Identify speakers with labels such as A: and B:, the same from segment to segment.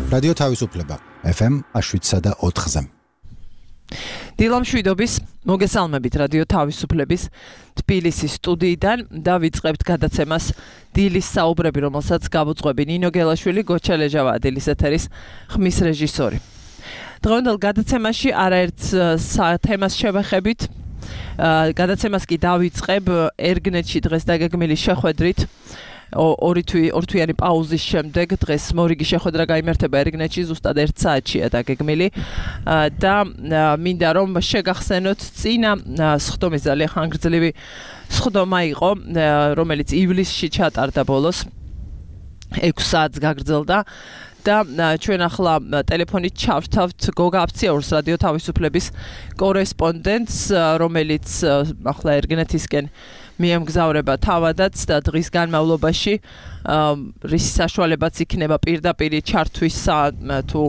A: რადიო თავისუფლება FM 7.4-ზე.
B: დილამ შვიდობის მოგესალმებით რადიო თავისუფლების თბილისის სტუდიიდან და ვიწყებთ გადაცემას დილის საუბრები, რომელსაც გავუძღვები ნინო გელაშვილი, გოჩა ლეჟავა, დილის ეთერის ხმის რეჟისორი. დღევანდელ გადაცემაში არაერთ თემას შევეხებით. გადაცემას კი დავიწყებ ერგნეთში დღეს დაგეგმილი შეხვედრით. ორთვიანი პაუზის შემდეგ დღეს მორიგი შეხვედრა გაიმართება ერგნეთში, ზუსტად 1 საათშია დაგეგმილი და მინდა რომ შეგახსენოთ წინა სხდომის ძალიან ხანგრძლივი სხდომა იყო, რომელიც ივლისში ჩატარდა ბოლოს 6 საათს გაგრძელდა და ჩვენ ახლა ტელეფონით ჩავრთავთ გოგა აფციაურს, რადიო თავისუფლების კორესპონდენტს, რომელიც ახლა ერგნეთისკენ მიემგზავრება თავადაც და დღის განმავლობაში რის საშუალებაც იქნება პირდაპირ ჩართვისა თუ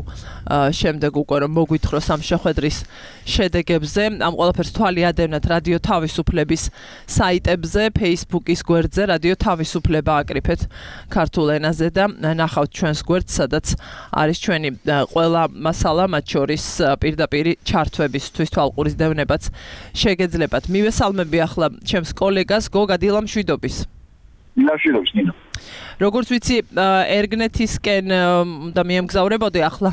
B: შემდეგ უკვე რომ მოგვითხროს ამ შეხვედრის შედეგებზე. ამ ყველაფერს თვალი ადევნათ რადიო თავისუფლების საიტებზე, Facebook-ის გვერდზე რადიო თავისუფლება აკრიფეთ ქართულ ენაზე და ნახავთ ჩვენს გვერდს, სადაც არის ჩვენი ყველა მასალა, მათ შორის პირდაპირ ჩართვებისთვის თვალყურის დევნებაც შეგეძლებათ. მივესალმები ახლა ჩემს კოლეგას გოგა დილამ შვიდობის.
C: დილამშვიდობის ნინო.
B: როგორც ვიცი, ერგნეთისკენ და მიემგზავრებოდი ახლა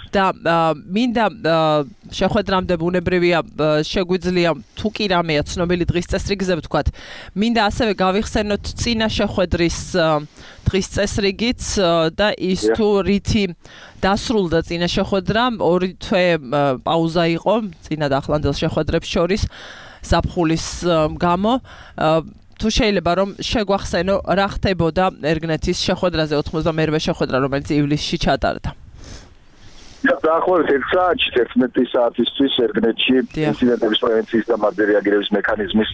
B: და მინდა შეხვედრამდე ბუნებრივია შეგვიძლია თუ კი რამეა ცნობილი დღის წესრიგზე ვთქვათ. მინდა ასევე გავიხსენოთ წინა შეხვედრის დღის წესრიგიც და ის თუ რითი დასრულდა წინა შეხვედრა, 2 თვე პაუზა იყო წინა და ახლანდელ შეხვედრებს შორის ზაფხულის გამო. თუ შეიძლება რომ შეგვახსენო რა ხდებოდა ერგნეთის შეხვედრაზე 92-ვე შეხვედრა, რომელიც ივლისში ჩატარდა.
C: დაახლოებით 1 საათში 11 საათისთვის ერგნეთში ინციდენტების პრევენციის და მათზე რეაგირების მექანიზმის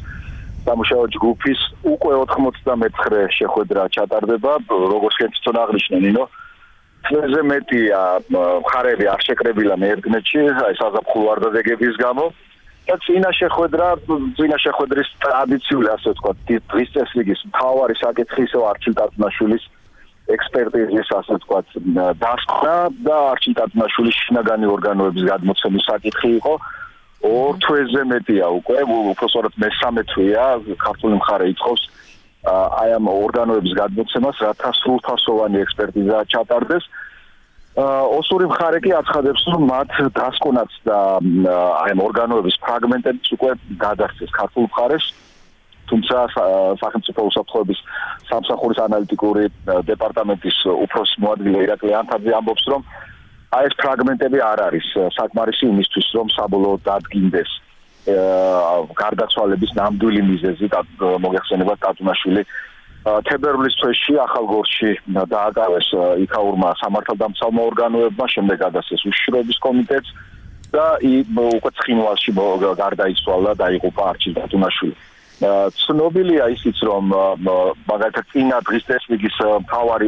C: სამუშაო ჯგუფის უკვე 99 შეხვედრა ჩატარდება, როგორც თქვენ აღნიშნე ნინო. თვეზე მეტია მხარეები არ შეკრებილა ერგნეთში, აი საზაფხულო არდადეგების გამო. და წინა შეხვედრის ტრადიციული, ასე ვთქვათ, დღის წესრიგის მთავარი საკითხი ისევ არჩილ ტატუნაშვილის ექსპერტიზის, ასე ვთქვათ, დასკვნა და არჩილ ტატუნაშვილის შინაგანი ორგანოების გადმოცემის საკითხი იყო. 2 თვეზე მეტია უკვე, უბრალოდ მესამე თვეა ქართული მხარე ითხოვს აი ამ ორგანოების გადმოცემას, რათა სრულფასოვანი ექსპერტიზა ჩატარდეს. ოსური მხარე კი აცხადებს, რომ მათ დასკვნაც და აი ამ ორგანოების ფრაგმენტებიც უკვე გადასცეს ქართულ მხარეს, თუმცა სახელმწიფო უსაფრთხოების სამსახურის ანალიტიკური დეპარტამენტის უფროსი მოადგილე ირაკლი ანთაძე ამბობს, რომ აი ეს ფრაგმენტები არ არის საკმარისი იმისთვის, რომ საბოლოოდ დადგინდეს გარდაცვალების ნამდვილი მიზეზი, მოგეხსენებათ ტატუნაშვილი თებერვლის თვეში ახალგორში დააკავეს იქაურმა სამართალდამცავმა ორგანოებმა, შემდეგ გადასცეს უშიშროების კომიტეტს და უკვე ცხინვალში გარდაიცვალა და დაიღუპა არჩილ ტატუნაშვილი. ცნობილია ისიც, რომ მაგალითად წინა დღის წესრიგის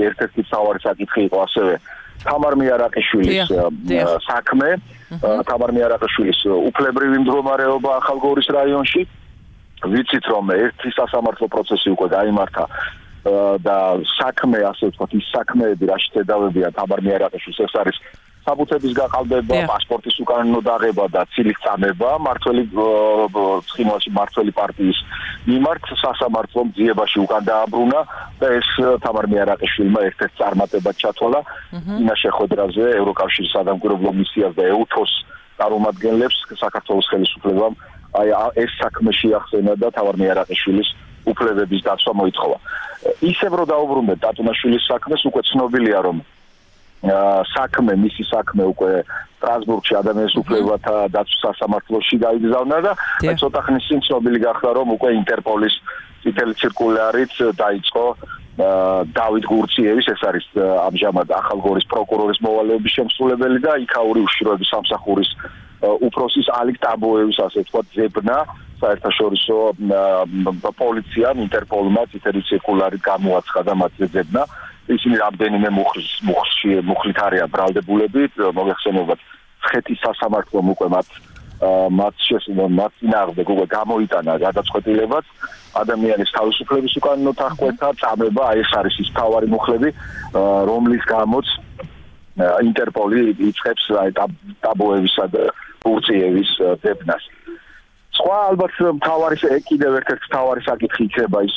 C: ერთ-ერთი მთავარი საკითხი იყო ასევე თამარ მიარაყიშვილის საქმე, თამარ მიარაყიშვილის უფლებრივი მდგომარეობა ახალგორის რაიონში. ვიცით რომ ერთი სასამართლო პროცესი უკვე გაიმართა და საქმე, ასე ვთქვათ, ის საქმეები, რაშიც ედავებია თამარ მიარაყიშვილს, ეს არის საბუთების გაყალბება, პასპორტის უკანონო დაღება და ცილის წამება ცხინვალში მმართველი პარტიის მიმართ სასამართლომ ძიებაში უკან დააბრუნა და ეს თამარ მიარაყიშვილმა ერთ-ერთ წარმატებად ჩათვალა წინა შეხვედრაზე ევროკავშირის სადამკვირვებლო მისიას და EUTHOS წარმომადგენლებს საქართველოს ხელისუფლებამ აი ეს საქმე შეახსენა და თამარ მიარაყიშვილის უფლებების დაცვა მოითხოვა. ისევ რომ დაუბრუნდეთ ტატუნაშვილის საქმეს, უკვე ცნობილია რომ მისი საქმე უკვე სტრასბურგში ადამიანის უფლებათა დაცვის სასამართლოში გაიგზავნა და ცოტა ხნის წინ ცნობილი გახდა, რომ უკვე ინტერპოლის წითელი ციρკულარით დაიწყო დავით გურციევის, ეს არის ამჟამად ახალგორის პროკურორის მოვალეობის შემსრულებელი და იქაური უშიშროების სამსახურის უფროსის ალიკ ტაბოევის, ასე ვთქვათ, ზებნა საერთაშორისო პოლიციამ ინტერპოლმა წითელი ცირკულარით გამოაცხადა მათზე ზებნა. ისინი რამდენიმე მუხლით არიან ბრალდებულები, მოგეხსენებათ, ცხეთის სასამართლომ უკვე მათ წინააღმდეგ უკვე გამოიტანა გადაწყვეტილებაც ადამიანის თავისუფლების უკანონო დახკვეთა, წამება, აი ეს არის ის მთავარი მუხლები, რომლის გამოც ინტერპოლი იწყებს ტაბუებისა და ფუნქციების ძებნას. სხვა ალბათ კიდევ ერთ-ერთი მთავარი საკითხი იქნება ის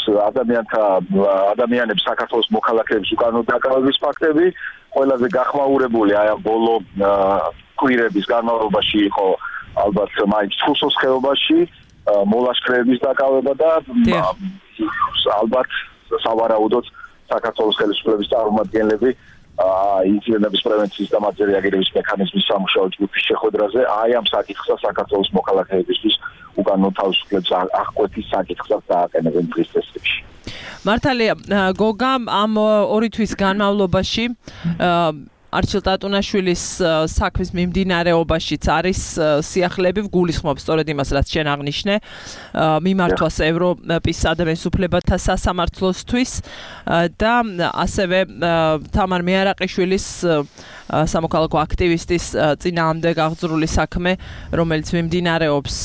C: ადამიანების საქართველოს მოქალაქეების უკანონო დაკავების ფაქტები. ყველაზე გახმაურებული აი ამ ბოლო კვირების განმავლობაში იყო ალბათ მაინც თრუსოს ხეობაში მოლაშქრეების დაკავება და ალბათ სავარაუდოდ საქართველოს ხელისუფლების წარმომადგენლები ინციდენტების პრევენციის და მათზე რეაგირების მექანიზმის სამუშაო ჯგუფის შეხვედრაზე აი ამ საკითხს საქართველოს მოქალაქეებისთვის უკანონო თავისუფლების აღკვეთის საკითხსაც დააყენებენ დღის წესრიგში.
B: მართალია, გოგა ამ 2 თვის განმავლობაში არჩილ ტატუნაშვილის საქმის მიმდინარეობაშიც არის სიახლეები გულისხმობს სწორედ იმას, რაც შენ აღნიშნე, მიმართვას ევროპის ადამიანის უფლებათა სასამართლოსთვის და ასევე თამარ მეარაყიშვილის სამოქალაქო აქტივისტის წინააღმდეგ აღძრული საქმე, რომელიც მიმდინარეობს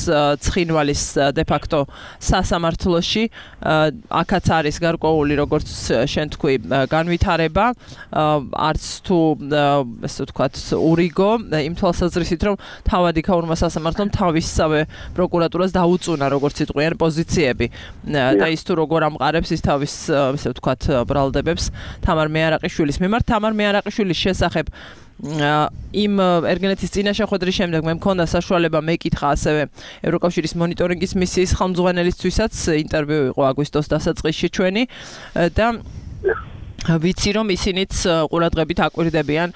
B: ცხინვალის დე-ფაქტო სასამართლოში, აქაც არის გარკვეული, როგორც შენ თქვი, განვითარება, არც თუ ესე ვთქვათ, ურიგო იმ თვალსაზრისით, რომ თავად იქაურმა სასამართლომ თავისსავე პროკურატურას დაუწუნა, როგორც იტყვიან, პოზიციები და ის თუ როგორ ამყარებს ის თავის, ესე ვთქვათ, ბრალდებებს თამარ მეარაყიშვილის მიმართ. თამარ მეარაყიშვილის შესახებ იმ ერგენეთის წინა შეხვედრის შემდეგ მე მქონდა საშუალება მეკითხა ასევე ევროკავშირის მონიტორინგის მისიის ხელმძღვანელისთვისაც ინტერვიუ იყო აგვისტოს დასაწყისში ჩვენი და ვიცი რომ ისინიც ყურადღებით აკვირდებიან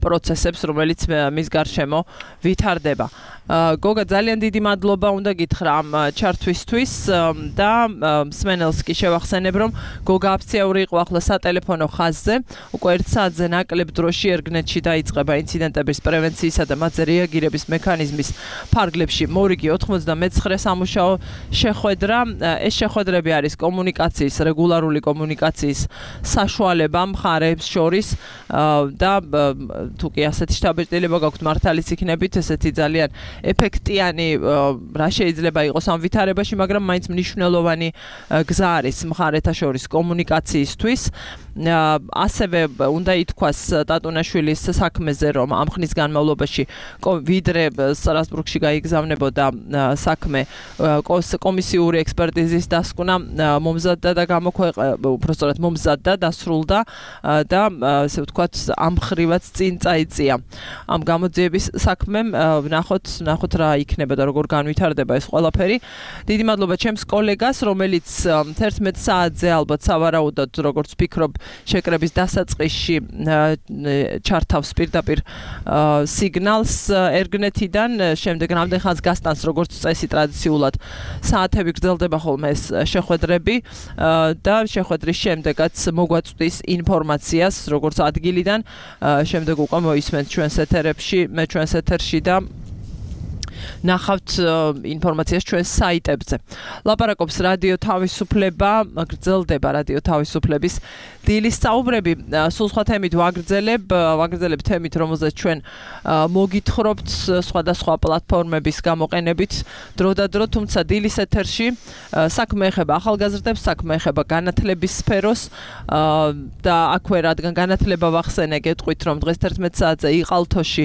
B: პროცესებს, რომელიც მის გარშემო ვითარდება. გოგა, ძალიან დიდი მადლობა უნდა გითხრა ამ ჩართვისთვის და მსმენელს კი შევახსენებ, რომ გოგა აფციაური იყო ახლა სატელეფონო ხაზზე, უკვე 1 საათზე ნაკლებ დროში ერგნეთში დაიწყება ინციდენტების პრევენციისა და მათზე რეაგირების მექანიზმის ფარგლებში მორიგი 99 სამუშაო შეხვედრა. ეს შეხვედრები არის კომუნიკაციის, რეგულარული კომუნიკაციის საშუალება მხარეებს შორის და თუ კი ასეთი შთაბეჭდილება გაქვთ მართალის იქნებით, ესეთი ძალიან ეფექტიანი რა შეიძლება იყოს ამ ვითარებაში, მაგრამ მაინც მნიშვნელოვანი გზა არის მხარეთა შორის კომუნიკაციისთვის. ასევე უნდა ითქვას ტატუნაშვილის საქმეზე, რომ ამ ხნის განმავლობაში ვიდრე სტრასბურგში გაიგზავნებოდა საქმე კომისიური ექსპერტიზის დასკვნა მომზადდა და უпростоრად მომზადდა, დასრულდა და ესე ვთქვათ, ამ ხრივაც წინ წაიწია. ამ გამოძიების საქმემ ნახოთ რა იქნება და როგორ განვითარდება ეს ყველაფერი. დიდი მადლობა ჩემს კოლეგას, რომელიც 11 საათზე ალბათ სავარაუდოდ, როგორც ვფიქრობ, შეკრების დასაწყისში ჩართავს პირდაპირ სიგნალს ერგნეთიდან, შემდეგ რამდენ ხანს გასტანს, როგორც წესი ტრადიციულად საათები გრძელდება ხოლმე ეს შეხვედრები და შეხვედრის შემდეგაც მოგვაწვდის ინფორმაციას, როგორც ადგილიდან, შემდეგ უკვე მოისმენთ ჩვენს ეთერში და ნახავთ ინფორმაციას ჩვენს საიტებზე. ლაპარაკობს რადიო თავისუფლება, გრძელდება რადიო თავისუფლების დილის საუბრები. სულ სხვა თემით ვაგრძელებ თემით, რომელზეც ჩვენ მოგითხრობთ სხვადასხვა პლატფორმების გამოყენებით დრო და დრო, თუმცა დილის ეთერში საქმე ეხება ახალგაზრდებს, საქმე ეხება განათლების სფეროს და აქვე რადგან განათლება ვახსენე, გეტყვით, რომ დღეს 11 საათზე იყალთოში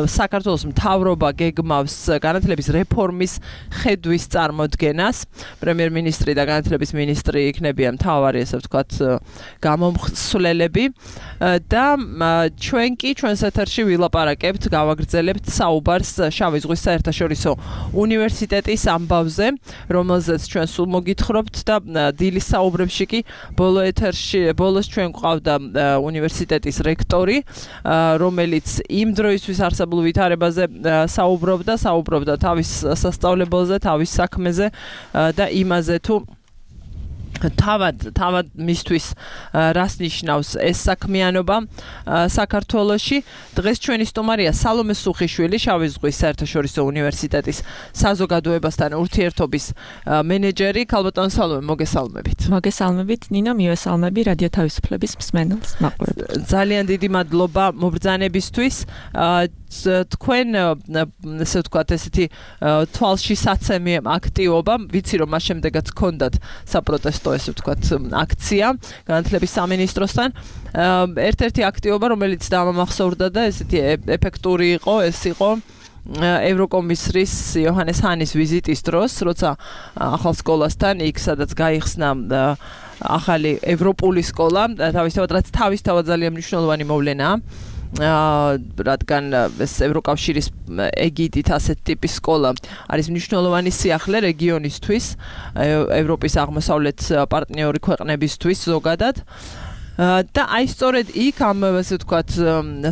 B: საქართველოს მთავრობა გეგმავს განათლების რეფორმის ხედვის წარმოდგენას. პრემიერ-მინისტრი და განათლების მინისტრი იქნებიან მთავარი, ესე ვთქვათ, გამომხსვლელები და ჩვენ კი ჩვენს ეთერში ვილაპარაკებთ, გავაგრძელებთ საუბარს შავი ზღვის საერთაშორისო უნივერსიტეტის ამბავზე, რომელზეც ჩვენ სულ მოგითხრობთ და დილის საუბრებში კი ბოლოს ჩვენ გვყავდა უნივერსიტეტის რექტორი, რომელიც იმ დროისთვის არსებულ ვითარებაზე საუბრობდა თავის სასწავლებელზე, თავის საქმეზე და იმაზე თუ თავად მისთვის რას ნიშნავს ეს საქმიანობა საქართველოში. დღეს ჩვენი სტუმარია სალომე სუხიშვილი, შავი ზღვის საერთაშორისო უნივერსიტეტის საზოგადოებასთან ურთიერთობის მენეჯერი. ქალბატონ სალომე,
D: მოგესალმებით. ნინო, მივესალმები რადიო თავისუფლების მსმენელს, მაყურებელს.
B: ძალიან დიდი მადლობა მობრძანებისთვის. თქვენ ესე ვთქვათ, ესეთი თვალში საცემი აქტივობა, ვიცი რომ მას შემდეგაც გქონდათ საპროტესტო ესე ვთქვათ, აქცია განათლების სამინისტროსთან. ერთ-ერთი აქტივობა, რომელიც დამამახსოვრდა და ესეთი ეფექტური იყო, ეს იყო ევროკომისრის იოჰანეს ჰანის ვიზიტის დროს, როცა ახალ სკოლასთან იქ სადაც გაიხსნა ახალი ევროპული სკოლა, თავისთავად ძალიან მნიშვნელოვანი მოვლენაა. რადგან ეს ევროკავშირის ეგიდით ასეთ ტიპის სკოლა არის მნიშვნელოვანი სიახლე რეგიონისთვის, ევროპის აღმოსავლეთ პარტნიორი ქვეყნებისთვის ზოგადად. და აი სწორედ იქ ამ ასე ვთქვათ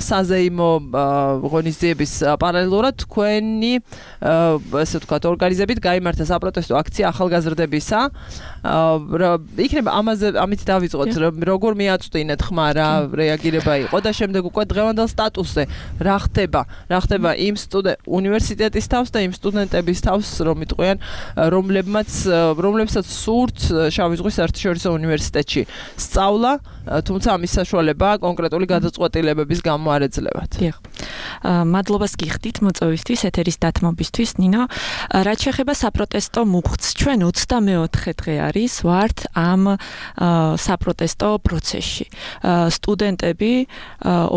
B: საზეიმო ღონისძიების პარალელურად თქვენი ასე ვთქვათ ორგანიზებით გაიმართა საპროტესტო აქცია ახალგაზრდებისა. იქნება ამით დავიწყოთ, როგორ მიაწვდინეთ ხმა, რა რეაგირება იყო და შემდეგ უკვე დღევანდელ სტატუსზე რა ხდება იმ უნივერსიტეტის თავს და იმ სტუდენტების თავს, რომ იტყვიან, რომლებსაც სურთ შავი ზღვის საერთაშორისო უნივერსიტეტში სწავლა, თუმცა ამის საშუალება კონკრეტული გადაწყვეტილებების გამო არ ეძლებათ.
D: დიახ. მადლობას გიხდით მოწვევისთვის, ეთერის დათმობისთვის, ნინო. რაც შეეხება საპროტესტო მუხტს, ჩვენ 24 დღე არის ვართ ამ საპროტესტო პროცესში. სტუდენტები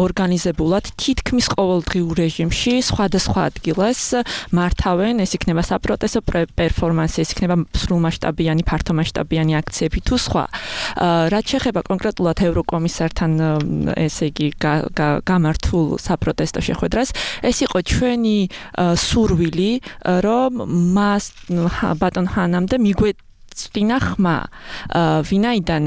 D: ორგანიზებულად თითქმის ყოველდღიურ რეჟიმში სხვადასხვა ადგილას მართავენ, ეს იქნება საპროტესტო პერფორმანსი, ეს იქნება სრულმასშტაბიანი, ფართომასშტაბიანი აქციები თუ სხვა. რაც შეეხება კონკრეტულად ევროკომისართან ესე იგი გამართულ საპროტესტო შეხვედრას, ეს იყო ჩვენი სურვილი, რომ მას ბატონ ჰანამდე მიგვეწვდინა ხმა, ვინაიდან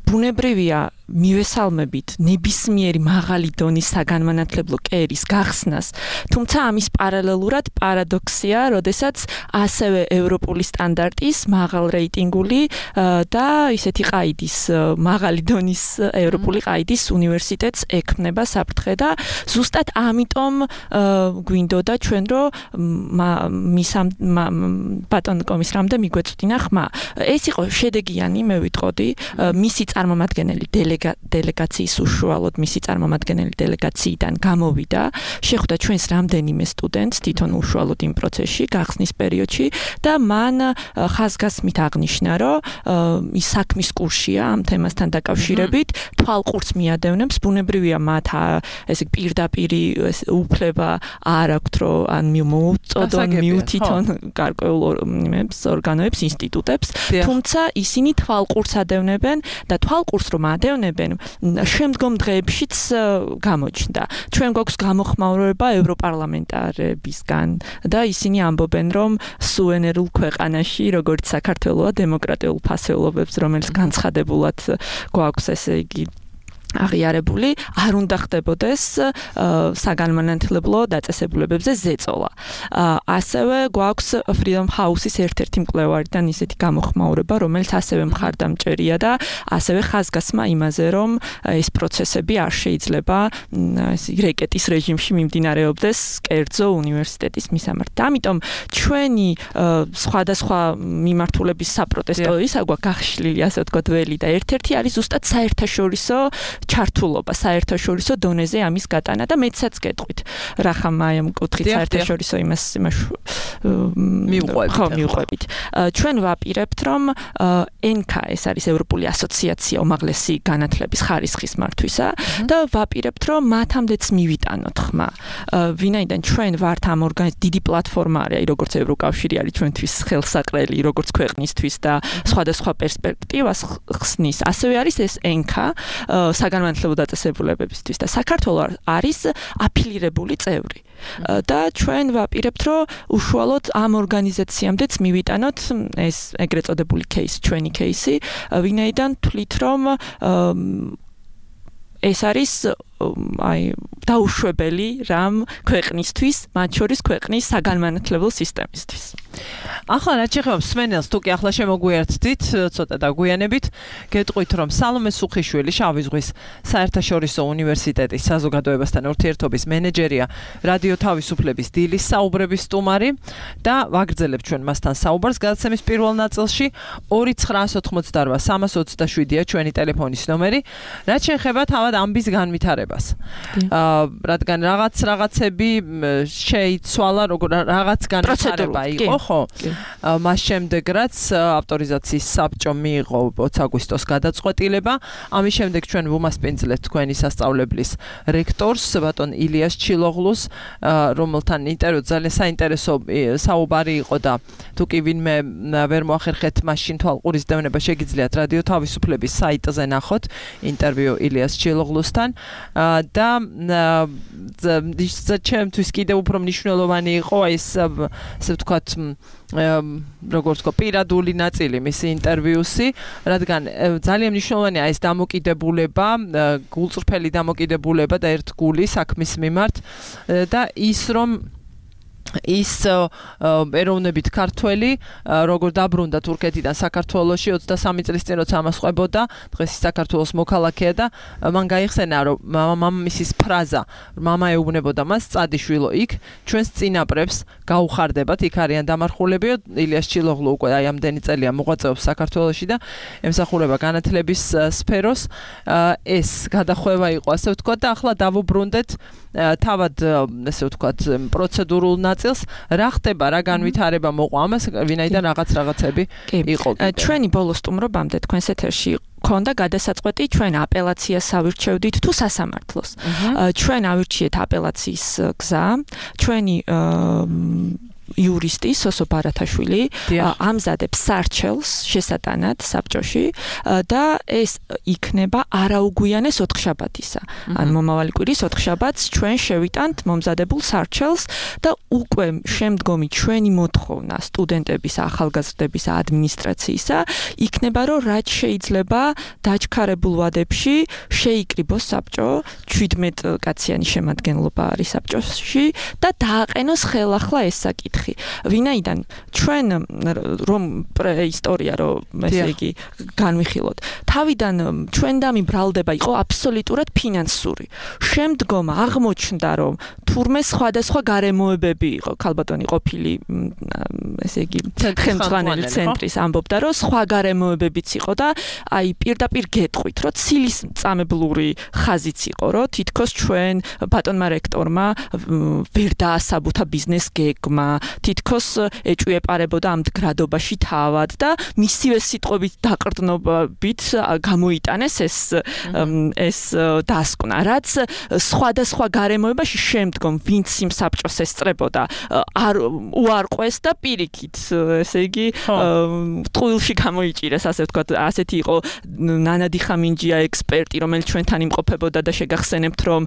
D: ბუნებრივია მივესალმებით ნებისმიერი მაღალი დონის საგანმანათლებლო კერის გახსნას, თუმცა ამის პარალელურად პარადოქსია, როდესაც ასევე ევროპული სტანდარტის მაღალ რეიტინგული და ისეთი ყაიდის მაღალი დონის ევროპული ყაიდის უნივერსიტეტს ექმნება საფრთხე და ზუსტად ამიტომ გვინდოდა ჩვენ რომ ბატონ კომისრამდე მიგვეწვდინა ხმა. ეს იყო შედეგიანი, მე ვიტყოდი, მისი წარმომადგენელი დელეგაციის უშუალოდ მისი წარმომადგენელი დელეგაციიდან გამოვიდა, შეხვდა ჩვენს რამდენიმე სტუდენტს თვითონ უშუალოდ იმ პროცესში, გახსნის პერიოდში და მან ხაზგასმით აღნიშნა, რომ ის საქმის კურსია ამ თემასთან დაკავშირებით, თვალყურს მიადევნებს, ბუნებრივია მათ ესე პირდაპირი უფლება არ აქვთ, რომ ან მოუწოდონ მიუთითონ გარკვეულ ორგანოებს, ინსტიტუტებს, თუმცა ისინი თვალყურს ადევნებენ და თვალყურს რომ ადევნებენ, შემდგომ დღეებშიც გამოჩნდა. ჩვენ გვაქვს გამოხმაურება ევროპარლამენტარებისგან და ისინი ამბობენ, რომ სუვერენულ ქვეყანაში, როგორც საქართველოა, დემოკრატიულ ფასეულობებს, რომელიც განცხადებულად გვაქვს, ესე იგი აღიარებული, არ უნდა ხდებოდეს საგანმანათლებლო დაწესებულებებზე ზეწოლა. ასევე გვაქვს Freedom House-ის ერთ-ერთი მკვლევარიდან ისეთი გამოხმაურება, რომელიც ასევე მხარდამჭერია და ასევე ხაზგასმა იმაზე, რომ ეს პროცესები არ შეიძლება რეკეტის რეჟიმში მიმდინარეობდეს კერძო უნივერსიტეტის მისამართი. ამიტომ ჩვენი სხვადასხვა მიმართულების საპროტესტო ისა გვაქვს გახშლილი, ასე ვთქვათ, ველი და ერთ-ერთი არის ზუსტად საერთაშორისო ჩართულობა, საერთაშორისო დონეზე ამის გატანა და მეცაც გეტყვით. რახამ აი ამ კუთხით საერთაშორისო იმას მივყვებით. ჩვენ ვაპირებთ, რომ NK ეს არის ევროპული ასოციაცია უმაღლესი განათლების ხარისხის მართვისა და ვაპირებთ, რომ მათამდეც მივიტანოთ ხმა. ვინაიდან ჩვენ ვართ ამ დიდი პლატფორმა არის, როგორც ევროკავშირი არის ჩვენთვის ხელსაყრელი, როგორც ქვეყნისთვის და სხვადასხვა პერსპექტივას ხსნის. ასევე არის ეს NK საგანმანათლებლო დაწესებულებებისთვის და საქართველოს არის აფილირებული წევრი. და ჩვენ ვაპირებთ, რომ უშუალოდ ამ ორგანიზაციამდეც მივიტანოთ ეს ეგრეთ წოდებული кейსი, ჩვენი кейსი, ვინაიდან თვლით, რომ ეს არის დაუშვებელი რამ ქვეყნისთვის, მათ შორის ქვეყნის საგანმანათლებლო სისტემისთვის.
B: ახლა რაც შეეხება მსმენელს, თუ კი ახლა შემოგვიერთდით, ცოტა დაგვიანებით, გეტყვით, რომ სალომე სუხიშვილი შავი ზღვის საერთაშორისო უნივერსიტეტის საზოგადოებასთან ურთიერთობის მენეჯერია, რადიო თავისუფლების დილის საუბრების სტუმარი და ვაგრძელებთ ჩვენ მასთან საუბარს გადაცემის პირველ ნაწილში 2988 327-ია ჩვენი ტელეფონის ნომერი. რაც შეეხება თავად ამბის განვითარებას. განვითარებას. რადგან რაღაცები შეიცვალა, როგორ რაღაც განვითარება იყო, ხო? მას შემდეგ რაც ავტორიზაციის საბჭო მიიღო 20 აგვისტოს გადაწყვეტილება, ამის შემდეგ ჩვენ ვუმასპინძლეთ თქვენი სასწავლებლის რექტორს, ბატონ ილიას ჩილოღლუს, რომელთან ინტერვიუ ძალიან საინტერესო საუბარი იყო და თუ კი ვინმე ვერ მოახერხეთ მაშინ თვალყურის დევნება შეგიძლიათ რადიო თავისუფლების საიტზე ნახოთ ინტერვიუ ილიას ჩილოღლუსთან და ჩემთვის კიდევ უფრო მნიშვნელოვანი იყო ეს ასე ვთქვათ როგორც თქო პირადული ნაწილი მისი ინტერვიუსი, რადგან ძალიან მნიშვნელოვანია ეს დამოკიდებულება, გულწრფელი დამოკიდებულება და ერთგული საქმის მიმართ და ის რომ ის ეროვნებით ქართველი როგორ დაბრუნდა თურქეთიდან საქართველოში 23 წლის წინ როცა ამას ყვებოდა დღეს ის საქართველოს მოქალაქეა და მან გაიხსენა რომ მამამისის ფრაზა მამა ეუბნებოდა მას წადიშვილო იქ ჩვენს წინაპრებს გაუხარდებათ იქ არიან დამარხულებიო ილიას ჩილოღლუ უკვე აი ამდენი წელია მოღვაწეობს საქართველოში და ემსახურება განათლების სფეროს ეს გადახვევა იყო ასე ვთქვათ და ახლა დავუბრუნდეთ თავად ასე ვთქვათ პროცედურულ ნაწილს რა ხდება რა განვითარება მოყვა ამას ვინაიდან რაღაცები იყო
D: ჩვენი ბოლო სტუმრობამდე თქვენს ეთერში ქონდა გადასაწყვეტი ჩვენ აპელაციას ავირჩევდით თუ სასამართლოს ჩვენ ავირჩიეთ აპელაციის გზა ჩვენი იურისტი სოსო ბარათაშვილი ამზადებს სარჩელს შესატანად საბჭოში და ეს იქნება არაუგვიანეს ოთხშაბათისა. ან მომავალი კვირის ოთხშაბათს ჩვენ შევიტანთ მომზადებულ სარჩელს და უკვე შემდგომი ჩვენი მოთხოვნა სტუდენტების ახალგაზრდების ადმინისტრაციისა იქნება რომ რაც შეიძლება დაჩქარებულ ვადებში შეიკრიბოს საბჭო 17 კაციანი შემადგენლობა არის საბჭოში და დააყენოს ხელახლა ეს საკითხი ვინაიდან ჩვენ რომ პრეისტორია რომ ესე იგი განვიხილოთ თავიდან ჩვენდამი ბრალდება იყო აბსოლუტურად ფინანსური შემდგომ აღმოჩნდა რომ თურმე სხვადასხვა გარემოებები იყო ქალბატონი ყოფილი ესე იგი ხელმძღვანელი ცენტრის ამბობდა რომ სხვა გარემოებებიც იყო და აი პირდაპირ გეტყვით რომ ცილის წამებლური ხაზიც იყო რომ თითქოს ჩვენ ბატონმა რექტორმა ვერ დაასაბუთა ბიზნეს გეგმა თითქოს ეჭვიეპარებოდა ამ გრადობაში თავად და მისივე სიტყვებით დაყრდნობით გამოიტანეს ეს დასკვნა რაც სხვადასხვა გარემოებაში შემდგომ ვინც იმ საბჭოს ესწრებოდა არ უარყვეს და პირიქით ესე იგი ტყუილში გამოიჭირეს ასე ვთქვათ ასეთი იყო ნანადი ხამინჯია ექსპერტი რომელიც ჩვენთან იმყოფებოდა და შეგახსენებთ რომ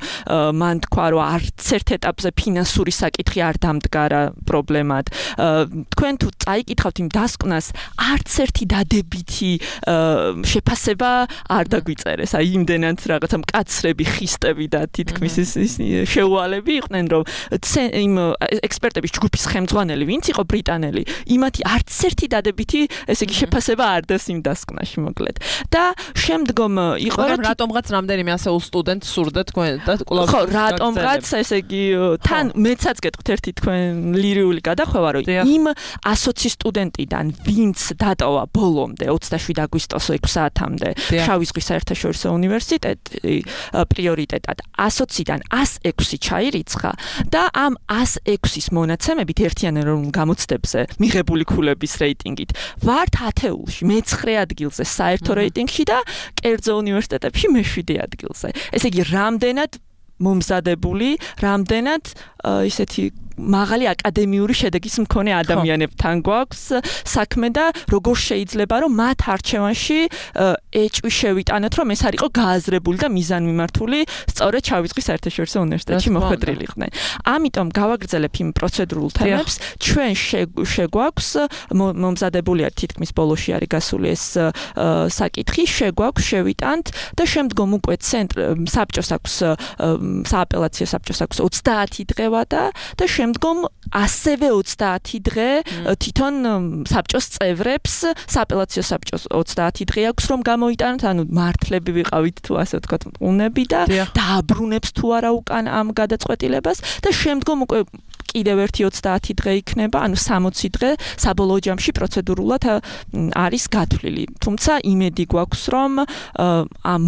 D: მან თქვა რომ არც ერთ ეტაპზე ფინანსური საკითხი არ დამდგარა პრობლემად თქვენ თუ წაიკითხავთ იმ დასკვნას არც ერთი დადებითი შეფასება არ დაგვიწერეს აი იმდენად რაღაცა მკაცრები ხისტები და თითქმის შეუვალები იყვნენ რომ იმ ექსპერტების ჯგუფის ხელმძღვანელი ვინც იყო ბრიტანელი იმათი არც ერთი დადებითი ესე იგი შეფასება არ დეს იმ დასკვნაში მოკლედ და შემდგომ იყო
B: რატომღაც რამდენიმე ასეულ სტუდენტს სურდა თქვენ და კლუბ
D: ხო რატომღაც ესე იგი თან მეცაც გეტყვით ერთი თქვენ ლირიული გადახვევა რომ იმ 120 სტუდენტიდან ვინც დატოვა ბოლომდე 27 აგვისტოს 6 საათამდე შავი ზღვის საერთაშორისო უნივერსიტეტი პრიორიტეტად 120-დან 106 ჩაირიცხა და ამ 106-ის მონაცემებით ერთიანეროვნულ გამოცდებზე მიღებული ქულების რეიტინგით ვართ 10-ულში მე-9 ადგილზე საერთო რეიტინგში და კერძო უნივერსიტეტებში მე-7 ადგილზე ესე იგი რამდენად მომზადებული რამდენად ისეთი მაღალი აკადემიური შედეგის მქონე ადამიანებთან გვაქვს საქმე და როგორ შეიძლება რომ მათ არჩევანში ეჭვი შევიტანოთ რომ ეს არ იყო გააზრებული და მიზანმიმართული სწორედ შავი ზღვის საერთაშორისო უნივერსიტეტში მოხვედრილიყვნენ. ამიტომ გავაგრძელებ იმ პროცედურულ თემებს ჩვენ შეგვაქვს მომზადებულია თითქმის ბოლოში არის გასული ეს საკითხი შეგვაქვს შევიტანთ და შემდგომ უკვე საბჭოს აქვს სააპელაციო საბჭოს აქვს 30 დღევა და შემდგომ ასევე 30 დღე თვითონ საბჭოს წევრებს სააპელაციო საბჭოს 30 დღე აქვს რომ გამოიტანოთ ანუ მართლები ვიყავით თუ ასე ვთქვათ უნები და დააბრუნებს თუ არა უკან ამ გადაწყვეტილებას და შემდგომ უკვე კიდევ ერთი 30 დღე იქნება ანუ 60 დღე საბოლოო ჯამში პროცედურულად არის გათვლილი თუმცა იმედი გვაქვს რომ ამ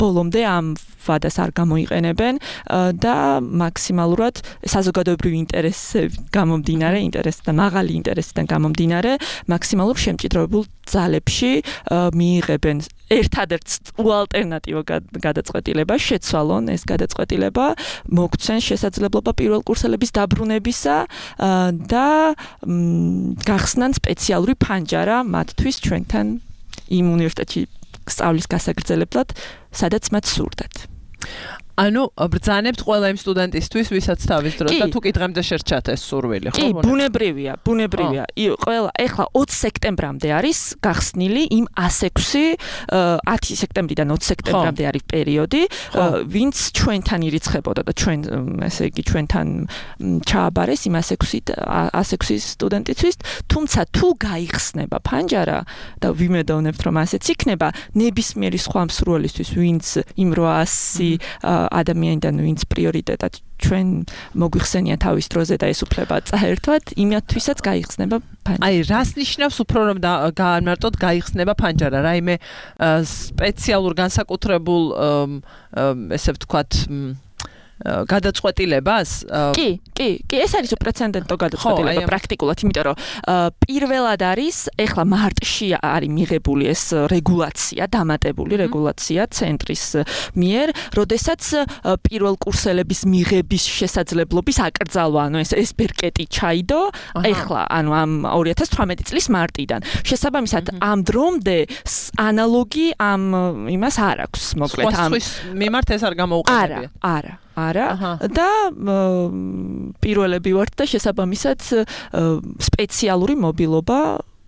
D: ბოლომდე ამ ვადას არ გამოიყენებენ და მაქსიმალურად საზოგადოებრივი ინტერესიდან გამომდინარე, ინტერესიდან მაღალი ინტერესიდან გამომდინარე, მაქსიმალურ შემჭიდროებულ ძალებში მიიღებენ ერთადერთ უალტერნატივო გადაწყვეტილება, შეცვალონ ეს გადაწყვეტილება, მოგცენ შესაძლებლობა პირველ კურსელების დაბრუნებისა და გახსნან სპეციალური ფანჯარა მათთვის ჩვენთან იმ უნივერსიტეტში სწავლის გასაგრძელებლად, სადაც მათ სურდათ.
B: ანუ ბრძანებთ ყველა იმ სტუდენტისთვის, ვისაც თავის დროს და თუ კი დღემდე შერჩათ ეს სურვილი, ხო?
D: კი, ბუნებრივია. ყველა ეხლა 20 სექტემბრამდე არის გახსნილი იმ 106 10 სექტემბრიდან 20 სექტემბრამდე არის პერიოდი, ვინც ჩვენთან ირიცხებოდა და ჩვენ ესე იგი ჩვენთან ჩააბარეს იმ 106 სტუდენტისთვის, თუმცა თუ გაიხსნება ფანჯარა და ვიმედოვნებთ რომ ასეც იქნება, ნებისმიერი სხვა მსურველისთვის, ვინც იმ 800 ადამიანიდან ვინც პრიორიტეტად ჩვენ მოგვიხსენია თავის დროზე და ეს უფლება წაერთვათ, იმათთვისაც გაიხსნება ფანჯარა.
B: აი, რას ნიშნავს უფრო რომ გაამარტოთ გაიხსნება ფანჯარა? რაიმე სპეციალურ განსაკუთრებულ ესე ვთქვათ გადაწყვეტილებას?
D: კი, ეს არის უპრეცედენტო გადაწყვეტილება პრაქტიკულად, იმიტომ რომ პირველად არის, ეხლა მარტში არის მიღებული ეს რეგულაცია, დამატებული რეგულაცია ცენტრის მიერ, როდესაც პირველ კურსელების მიღების შესაძლებლობის აკრძალვა, ანუ ეს ბერკეტი ჩაიდო, ეხლა, ანუ ამ 2018 წლის მარტიდან. შესაბამისად, ამ დრომდე ანალოგი ამ იმას არ აქვს, მოკლედ ამ
B: მიმართ ეს არ გამოუყენებია.
D: არა და პირველები ვართ და შესაბამისად სპეციალური მობილობა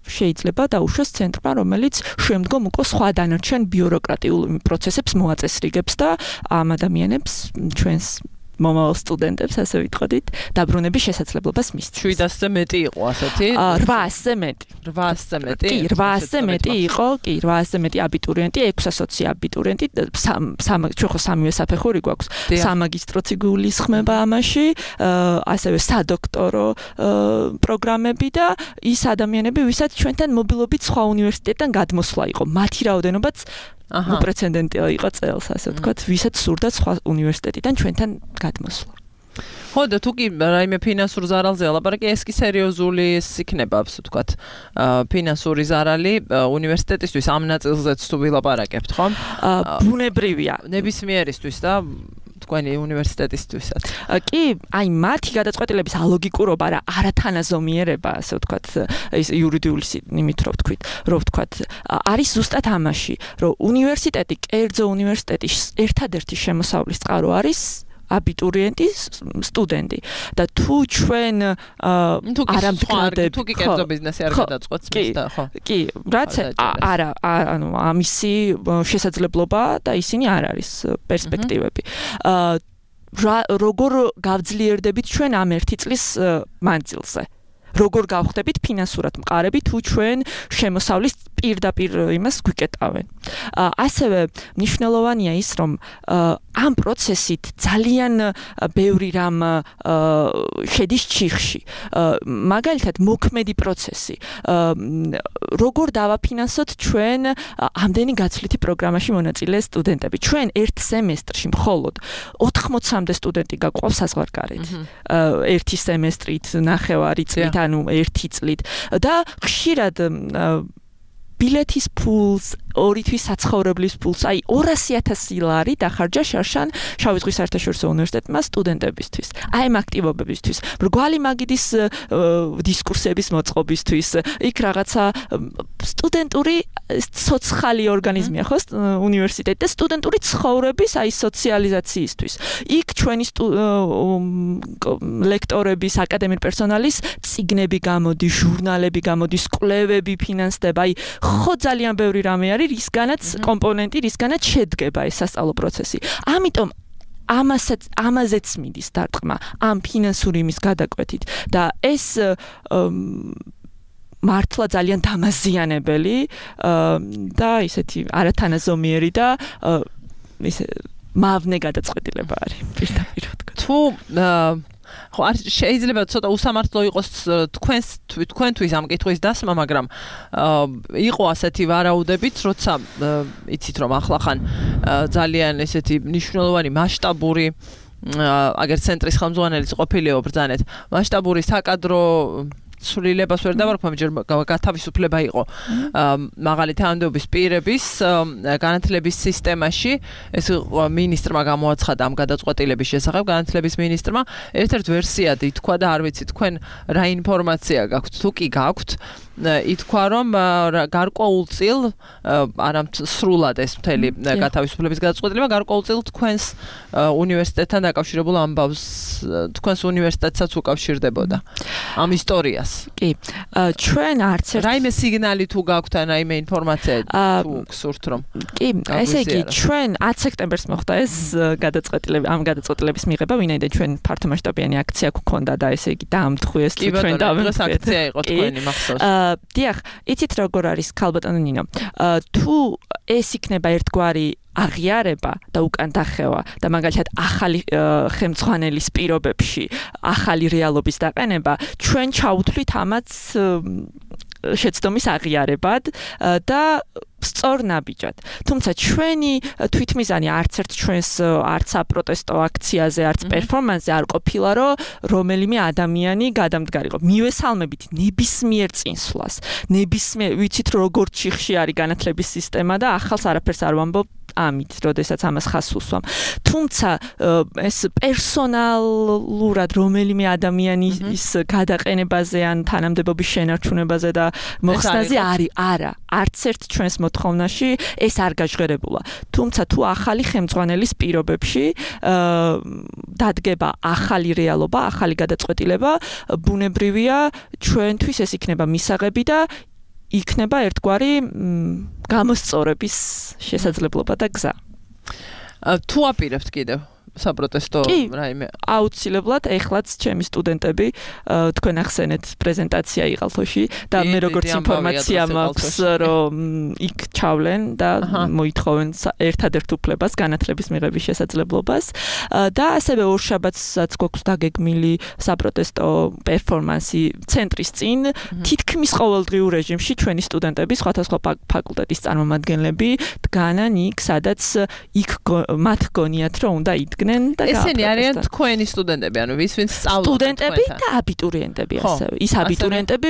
D: შეიძლება დაუშვას ცენტრმა, რომელიც შემდგომ უკვე სხვა დანარჩენ ბიუროკრატიულ პროცესებს მოაწესრიგებს და ამ ადამიანებს ჩვენს მომავალ სტუდენტებს, ასე ვიტყოდით, დაბრუნების შესაძლებლობას მისცემს.
B: 700-ზე მეტი იყო ასეთი?
D: 800-ზე მეტი.
B: 800-ზე მეტი?
D: კი, 800-ზე მეტი იყო, კი, 800-ზე მეტი აბიტურიენტი, 600 აბიტურიენტი, ჩვენ ხო სამივე საფეხური გვაქვს. სამაგისტროც იგულისხმება ამაში, ასევე სადოქტორო პროგრამები და ის ადამიანები, ვისაც ჩვენთან მობილობით სხვა უნივერსიტეტიდან გადმოსვლა იყო. მათი რაოდენობაც უპრეცედენტი იყო წელს, ასე ვთქვათ, ვისაც სურდა სხვა უნივერსიტეტიდან ჩვენთან გადმოსვლა.
B: ხო, და თუ კი რაიმე ფინანსურ ზარალზე ლაპარაკი, ეს კი სერიოზული იქნება, ასე ვთქვათ, ფინანსური ზარალი უნივერსიტეტისთვის ამ ნაწილზეც თუ ვილაპარაკებთ, ხო?
D: ბუნებრივია.
B: ნებისმიერისთვის და თქვენი უნივერსიტეტისთვისაც.
D: კი, აი მათი გადაწყვეტილების ალოგიკურობა რა არათანაზომიერება, ასე ვთქვათ, ის იურიდიული იმით რო ვთქვათ, არის ზუსტად ამაში, რომ უნივერსიტეტი, კერძო უნივერსიტეტი ერთადერთი შემოსავლის წყარო არის აბიტურიენტი, სტუდენტი და თუ ჩვენ არამდგრადები
B: თუ კი კერძო ბიზნესი არ გადაწყვეტს მის და ხო.
D: კი, რაც არა, ანუ ამისი შესაძლებლობა და ისინი არ არის პერსპექტივები. როგორ გავძლიერდებით ჩვენ ამ 1 წლის მანძილზე? როგორ გავხდებით ფინანსურად მყარები თუ ჩვენ შემოსავლის პირდაპირ იმას გვიკეტავენ. ასევე მნიშვნელოვანია ის, რომ ამ პროცესით ძალიან ბევრი რამ შედის ჩიხში. მაგალითად, მოქმედი პროცესი. როგორ დავაფინანსოთ ჩვენ ამდენი გაცვლითი პროგრამაში მონაწილე სტუდენტები? ჩვენ ერთ სემესტრში მხოლოდ 80-მდე სტუდენტი გაგვყავს საზღვარგარეთ. ერთი სემესტრით, ნახევარი წლით, ანუ 1 წლით და ხშირად ბილეთის ფულს, 2 თვის საცხოვრებლის ფულს, აი 200,000 ლარი დახარჯა შარშან შავი ზღვის საერთაშორისო უნივერსიტეტმა სტუდენტებისთვის. აი ამ აქტივობებისთვის, მრგვალი მაგიდის დისკურსების მოწყობისთვის, იქ რაღაცა სტუდენტური სოციალური ორგანიზმია ხო უნივერსიტეტი და სტუდენტური ცხოვრების აი სოციალიზაციისთვის. იქ ჩვენი ლექტორების, აკადემიური პერსონალის წიგნები გამოდის, ჟურნალები გამოდის, კვლევები ფინანსდება, აი ხო ძალიან ბევრი რამე არის, რისგანაც კომპონენტი, რისგანაც შედგება ეს სასწავლო პროცესი. ამიტომ ამაზეც მიდის დარტყმა ამ ფინანსური იმის გადაკვეთით და ეს მართლა ძალიან დამაზიანებელი და ისეთი არათანაზომიერი და ისე მავნე გადაწყვეტილება არის პირდაპირ ვთქვათ.
B: თუ ხო არ შეიძლება ცოტა უსამართლო იყოს თქვენთვის ამ კითხვის დასმა, მაგრამ იყო ასეთი ვარაუდებით, როცა იცით რომ ახლახან ძალიან ესეთი მნიშვნელოვანი მასშტაბური აგერ ცენტრის ხელმძღვანელიც ყოფილიო ბრძანეთ მასშტაბური საკადრო სრულებას ვერ დავარქვამ, ჯერ გათავისუფლება იყო მაღალი თანამდებობის პირების განათლების სისტემაში. ეს მინისტრმა გამოაცხადა ამ გადაწყვეტილების შესახებ, განათლების მინისტრმა. ერთ-ერთ ვერსიად ითქვა და არ ვიცი თქვენ რა ინფორმაცია გაქვთ, თუ კი გაქვთ, ითქვა რომ გარკვეულწილ არა სრულად ეს მთელი გათავისუფლების გადაწყვეტილება გარკვეულწილ თქვენს უნივერსიტეტთან დაკავშირებულ ამბავს თქვენს უნივერსიტეტსაც უკავშირდებოდა ამ ისტორიას.
D: კი. ჩვენ არც ერთ
B: რაიმე სიგნალი თუ გაქვთ ან რაიმე ინფორმაცია თუ გსურთ რომ
D: კი, ესე იგი ჩვენ 10 სექტემბერს მოხდა ეს გადაწყვეტილება ამ გადაწყვეტილების მიღება, ვინაიდან ჩვენ ფართო მასშტაბიანი აქცია გვქონდა და ესე იგი დაამთხვიეს ჩვენ
B: დავამთხვიეთ აქცია იყო თქვენი მახსოვს.
D: დიახ, იცით როგორ არის ქალბატონო ნინო? თუ ეს იქნება ერთგვარი აღიარება და უკან დახევა და მაგალითად ახალი ხელმძღვანელის პირობებში ახალი რეალობის დაყენება, ჩვენ ჩავუთვლით ამაც შეცდომის აღიარებად და სწორნაბიჯად. თუმცა ჩვენი თვითმიზანი არც ერთ ჩვენს არც საპროტესტო აქციაზე, არც პერფორმანსზე არ ყოფილა, რომ რომელიმე ადამიანი გადამდგარიყო. მივესალმებით ნებისმიერ წინსვლას. ნებისმიერ ვიცით როგორ ჩიხში არის განათლების სისტემა და ახალს არაფერს არ ვამბობ ამით, როდესაც ამას ხაზს უსვამ. თუმცა ეს პერსონალურად რომელიმე ადამიანის გადაყენებაზე ან თანამდებობის შენარჩუნებაზე და მოხსნაზე არა, არც ერთ ჩვენს მოთხოვნაში ეს არ გაჟღერებულა. თუმცა თუ ახალი ხელმძღვანელის პირობებში დადგება ახალი რეალობა, ახალი გადაწყვეტილება, ბუნებრივია ჩვენთვის ეს იქნება მისაღები და იქნება ერთგვარი გამოსწორების შესაძლებლობა და გზა.
B: თუ აპირებთ კიდევ საპროტესტო რაიმე
D: აუცილებლად ეხლაც ჩემი სტუდენტები თქვენ ახსენეთ პრეზენტაცია იყალთოში და მე როგორც ინფორმაცია მაქვს რომ იქ ჩავლენ და მოითხოვენ ერთადერთ უფლებას განათლების მიღების შესაძლებლობას და ასევე ორშაბათსაც გვაქვს დაგეგმილი საპროტესტო პერფორმანსი ცენტრის წინ თითქმის ყოველდღიურ რეჟიმში ჩვენი სტუდენტები სხვადასხვა ფაკულტეტის წარმომადგენლები დგანან იქ სადაც იქ მათ გონიათ რომ უნდა იდგნენ
B: ესენი არიან თქვენი სტუდენტები, ანუ ვინც სწავლობენ
D: სტუდენტები და აბიტურიენტები ასევე. ის აბიტურიენტები,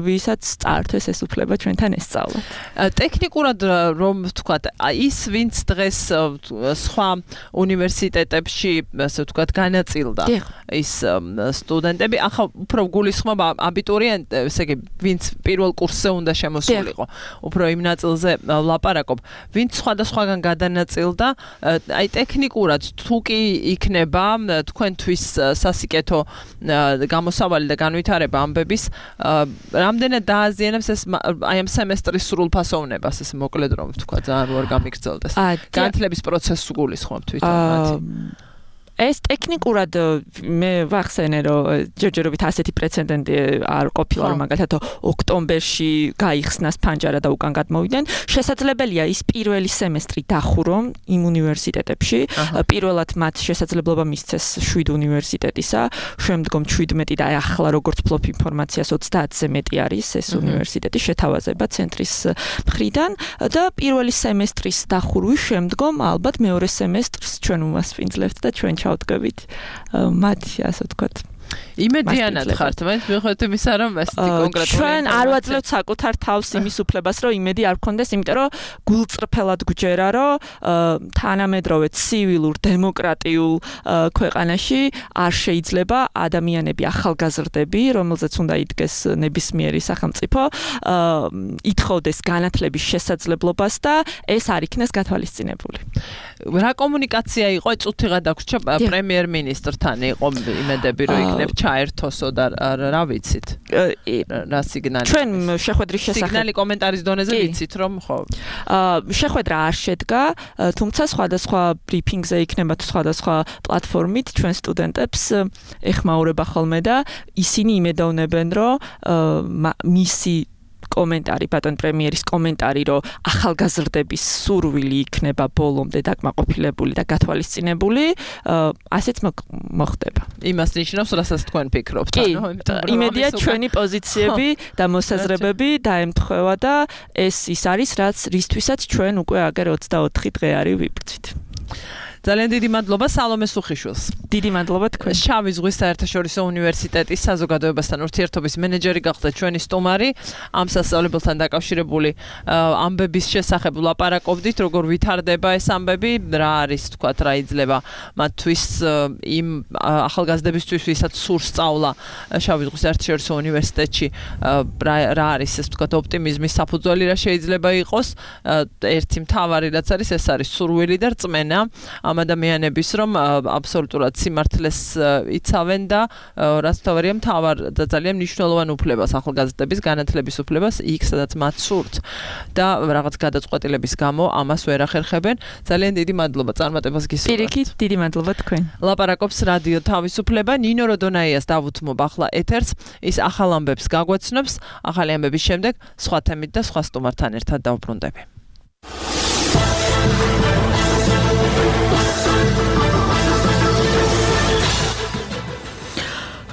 D: ვისაც წაართვეს ეს უფლება ჩვენთან ესწავლათ.
B: ტექნიკურად რომ ვთქვათ, ის ვინც დღეს სხვა უნივერსიტეტებში, ასე ვთქვათ, განაწილდა ის სტუდენტები, ახლა უფრო გულისხმობა აბიტურიენტებს, ესე იგი, ვინც პირველ კურსზე უნდა შემოსულიყო. უფრო იმ ნაწილზე ვლაპარაკობ. ვინც სხვადასხვაგან გადანაწილდა, აი ტექნიკურად თუ კი იქნება თქვენთვის სასიკეთო გამოსავალი და განვითარება ამბების, რამდენად დააზიანებს ეს აი ამ სემესტრის სრულფასოვნებას, ეს მოკლედ რომ ვთქვა, ძალიან არ გამიგრძელდეს. განათლების პროცესს გულისხმობ თვითონ. ეს ტექნიკურად მე ვახსენე რომ ჯერჯერობით ასეთი პრეცედენტი არ ყოფილა რომ მაგალითად ოქტომბერში გაიხსნას ფანჯარა და უკან გადმოვიდნენ. შესაძლებელია ის პირველი სემესტრი დახურონ იმ უნივერსიტეტებში. პირველად მათ შესაძლებლობა მისცეს 7 უნივერსიტეტისა, შემდგომ 17 და ახლა როგორც ფლოფ ინფორმაციას 30-ზე მეტი არის ეს უნივერსიტეტი შეთავაზება ცენტრის მხრიდან და პირველი სემესტრის დახურვის შემდგომ ალბათ მეორე სემესტრს ჩვენ უმასპინძლებთ და ჩვენ ჩავდგებით მათი ასე ვთქვათ იმედიანად ხართ, მე მიხვდეთ იმისა, რომ ესეთი კონკრეტული
D: ჩვენ არ ვაძლევთ საკუთარ თავს იმის უფლებას, რომ იმედი არ გქონდეს, იმიტომ რომ გულწრფელად გვჯერა, რომ თანამედროვე ცივილურ დემოკრატიულ ქვეყანაში არ შეიძლება ადამიანები, ახალგაზრდები, რომელზეც უნდა იდგეს ნებისმიერი სახელმწიფო, ითხოვდეს განათლების შესაძლებლობას და ეს არ იქნეს გათვალისწინებული.
B: რა კომუნიკაცია იყო წუთიღა დაგვრჩა პრემიერ-მინისტრთან იყო იმედები რომ იქნებ ჩაერთოსო და რა ვიცით რა სიგნალი
D: ჩვენ შეხვედრის შესახებ
B: სიგნალი კომენტარის დონეზე ვიცით რომ ხო
D: შეხვედრა არ შედგა თუმცა სხვადასხვა ბრიფინგზე იქნება სხვადასხვა პლატფორმით ჩვენ სტუდენტებს ეხმაურება ხოლმე და ისინი იმედოვნებენ რომ მისი კომენტარი, ბატონ პრემიერის კომენტარი, რომ ახალგაზრდების სურვილი იქნება ბოლომდე დაკმაყოფილებული და გათვალისწინებული, ასეც მოხდება.
B: იმას ნიშნავს, რასაც თქვენ ფიქრობთ,
D: იმედია ჩვენი პოზიციები და მოსაზრებები დაემთხვევა და ეს ის არის, რისთვისაც ჩვენ უკვე აგერ 24 დღე არის ვიბრძვით.
B: ძალიან დიდი მადლობა სალომე სუხიშვილს.
D: დიდი მადლობა თქვენ.
B: შავი ზღვის საერთაშორისო უნივერსიტეტის საზოგადოებასთან ურთიერთობის მენეჯერი გახდა ჩვენი სტუმარი. ამ სასწავლებელთან დაკავშირებული ამბების შესახებ ვლაპარაკობდით, როგორ ვითარდება ეს ამბები, რა არის, თქვათ, რა იძლევა მათთვის იმ ახალგაზრდებისთვის, ვისაც სურს სწავლა შავი ზღვის საერთაშორისო უნივერსიტეტში, რა არის ეს, თქვათ, ოპტიმიზმის საფუძველი, რა შეიძლება იყოს. ერთი მთავარი რაც არის, ეს არის სურვილი და რწმენა ამ ადამიანების, რომ აბსოლუტურად სიმართლეს იცავენ და რაც თავარია მთავარ და ძალიან მნიშვნელოვან უფლებას ახალგაზრდების განათლების უფლებას იქ სადაც მათ სურთ და რაღაც გადაწყვეტილების გამო ამას ვერ ახერხებენ. ძალიან დიდი მადლობა წარმატებას გისურვებთ.
D: პირიქით, დიდი მადლობა თქვენ.
B: ლაპარაკობს რადიო თავისუფლება. ნინო როდონაიას დავუთმობ ახლა ეთერს. ის ახალ ამბებს გაგვეცნობს. ახალი ამბების შემდეგ სხვა თემით და სხვა სტუმართან ერთად დავბრუნდები.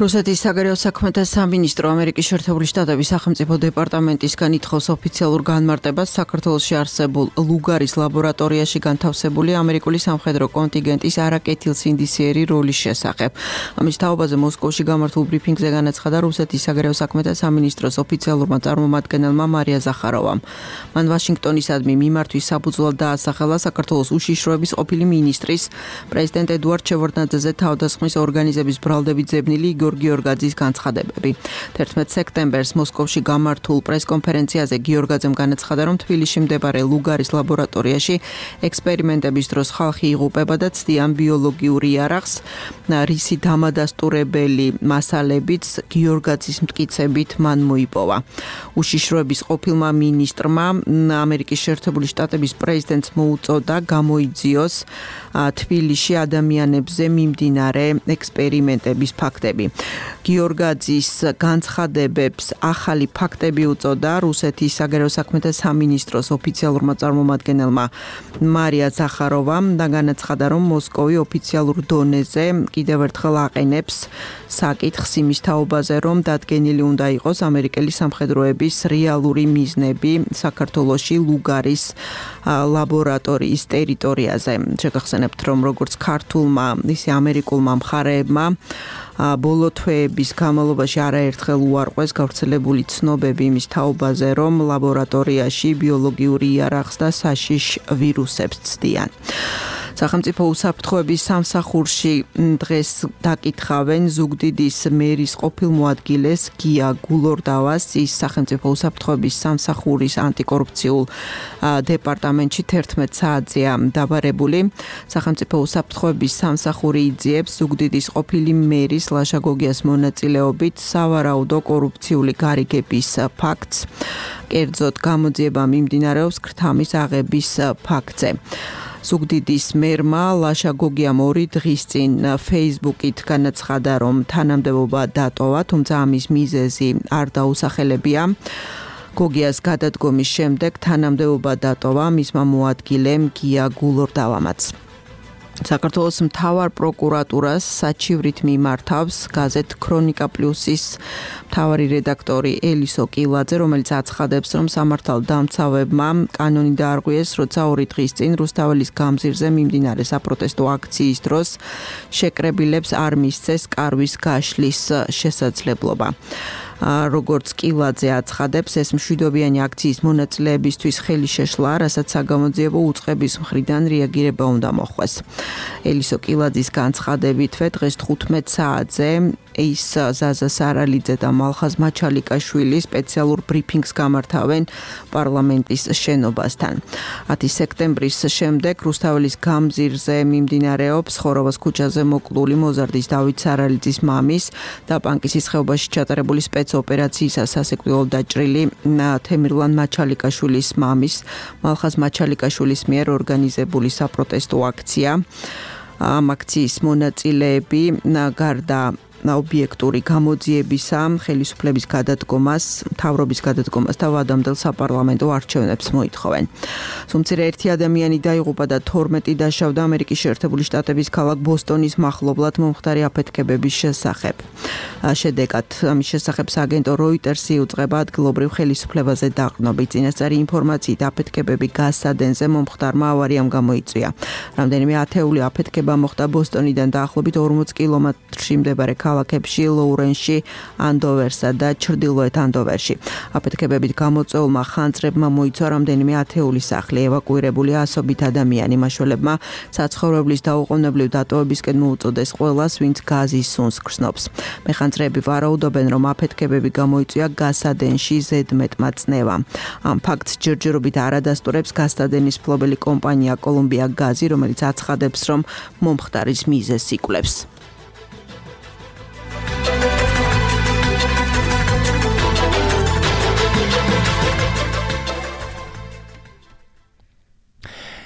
E: რუსეთის საგარეო საქმეთა სამინისტრო ამერიკის შეერთებული შტატების სახელმწიფო დეპარტამენტისგან ითხოვს ოფიციალურ განმარტებას საქართველოში არსებულ ლუგარის ლაბორატორიაში განთავსებული ამერიკული სამხედრო კონტინგენტის არაკეთილსინდისიერი როლის შესახებ. ამის თაობაზე მოსკოვში გამართულ ბრიფინგზე განაცხადა რუსეთის საგარეო საქმეთა სამინისტროს ოფიციალურმა წარმომადგენელმა მარია ზახაროვამ. მან ვაშინგტონისადმი მიმართვის საფუძვლად დაასახელა საქართველოს უშიშროების ყოფილი მინისტრის პრეზიდენტ ედუარდ შევარდნაძეზე თავდასხმის ორგანიზების ბრალდებით ძებნილი გიორგაძის განცხადებები. 11 სექტემბერს მოსკოვში გამართულ პრესკონფერენციაზე გიორგაძემ განაცხადა, რომ თბილისში მდებარე ლუგარის ლაბორატორიაში ექსპერიმენტების დროს ხალხი იღუპება და ცდიან ბიოლოგიურ იარაღს, რისი დამადასტურებელი მასალებიც გიორგაძის მტკიცებით მან მოიპოვა. უშიშროების ყოფილმა მინისტრმა ამერიკის შეერთებული შტატების პრეზიდენტს მოუწოდა გამოიძიოს თბილისში ადამიანებზე მიმდინარე ექსპერიმენტების ფაქტები. გიორგაძის განცხადებებს ახალი ფაქტები უწოდა რუსეთის საგარეო საქმეთა სამინისტროს ოფიციალურმა წარმომადგენელმა მარია ზახაროვამ და განაცხადა, რომ მოსკოვი ოფიციალურ დონეზე კიდევ ერთხელ აყენებს საკითხს იმის თაობაზე, რომ დადგენილი უნდა იყოს ამერიკელი სამხედროების რეალური მიზნები საქართველოში ლუგარის ლაბორატორიის ტერიტორიაზე. შეგახსენებთ, რომ როგორც ქართულმა, ისე ამერიკულმა მხარეებმა ბოლო თვეების განმავლობაში არაერთხელ უარყვეს გავრცელებული ცნობები იმის თაობაზე, რომ ლაბორატორიაში ბიოლოგიური იარაღს და საშიშ ვირუსებს ცდიან. სახელმწიფო უსაფრთხოების სამსახურში დღეს დაკითხავენ ზუგდიდის მერის ყოფილ მოადგილეს გია გულორდავას. ის სახელმწიფო უსაფრთხოების სამსახურის ანტიკორუფციულ დეპარტამენტში 11 საათზეა დაბარებული. სახელმწიფო უსაფრთხოების სამსახური იძიებს ზუგდიდის ყოფილი მერის ლაშა გოგიას მონაწილეობით სავარაუდო კორუფციული გარიგების ფაქტს. კერძოდ გამოძიება მიმდინარეობს ქრთამის აღების ფაქტზე. ზუგდიდის მერმა ლაშა გოგიამ 2 დღის წინ Facebook-ით განაცხადა, რომ თანამდებობა დატოვა, თუმცა ამის მიზეზი არ დაუსახელებია. გოგიას გადადგომის შემდეგ თანამდებობა დატოვა მისმა მოადგილემ გია გულორდავამაც. საქართველოს მთავარ პროკურატურას საჩივრით მიმართავს გაზეთ ქრონიკა პლუსის მთავარი რედაქტორი ელისო კილაძე, რომელიც აცხადებს, რომ სამართალდამცავებმა კანონი დაარღვიეს, როცა 2 დღის წინ რუსთაველის გამზირზე მიმდინარე საპროტესტო აქციის დროს შეკრებილებს არ მისცეს კარვის გაშლის შესაძლებლობა. როგორც კილაძე აცხადებს, ეს მშვიდობიანი აქციის მონაწილეებისთვის ხელი შეშლა, რასაც საგამოძიებო უწყების მხრიდან რეაგირება უნდა მოხდეს. ელისო კილაძის განცხადებითვე დღეს 15 საათზე ის ზაზა სარალიძე და მალხაზ მაჩალიკაშვილი სპეციალურ ბრიფინგს გამართავენ პარლამენტის შენობასთან. 10 სექტემბრის შემდეგ რუსთაველის გამზირზე მიმდინარეობს ხოროვას ქუჩაზე მოკლული მოზარდის დავით სარალიძის მამის და პანკისის ხეობაში ჩატარებული სპეცოპერაციისას სასიკვდილოდ დაჭრილი თემირლან მაჩალიკაშვილის მამის მალხაზ მაჩალიკაშვილის მიერ ორგანიზებული საპროტესტო აქცია. ამ აქციის მონაწილეები გარდა ობიექტური გამოძიებისა, ხელისუფლების გადადგომას, მთავრობის გადადგომას და ვადამდელ საპარლამენტო არჩევნებს მოითხოვენ. Სუმცირე ერთი ადამიანი დაიღუპა და 12 დაშავდა ამერიკის შეერთებული შტატების ქალაქ ბოსტონის მახლობლად მომხდარი აფეთქებების შესახებ. შედეგად ამის შესახებ სააგენტო Reuters-ი უწყება ადგილობრივ ხელისუფლებაზე დაყრდნობით. წინასწარი ინფორმაციით აფეთქებები გასადენზე მომხდარმა ავარიამ გამოიწვია. რამდენიმე ათეული აფეთქება მოხდა ბოსტონიდან დაახლოებით 40 კილომეტრში მდებარე ქალაქებში ლოურენსში, ანდოვერსა და ჩრდილოეთ ანდოვერში. აფეთქებებით გამოწვეულმა ხანძრებმა მოიცვა რამდენიმე ათეული სახლი, ევაკუირებულია ასობით ადამიანი. მაშველებმა საცხოვრებლის დაუყოვნებლივ დატოვებისკენ მოუწოდეს ყველას, ვინც გაზის სუნს გრძნობს. მეხანძრეები ვარაუდობენ, რომ აფეთქებები გამოიწვია გასადენში ზედმეტმა წნევამ. ამ ფაქტს ჯერჯერობით არადასტურებს გასადენის მფლობელი კომპანია კოლუმბია გაზი, რომელიც აცხადებს, რომ მომხდარის მიზეზს იკვლევს.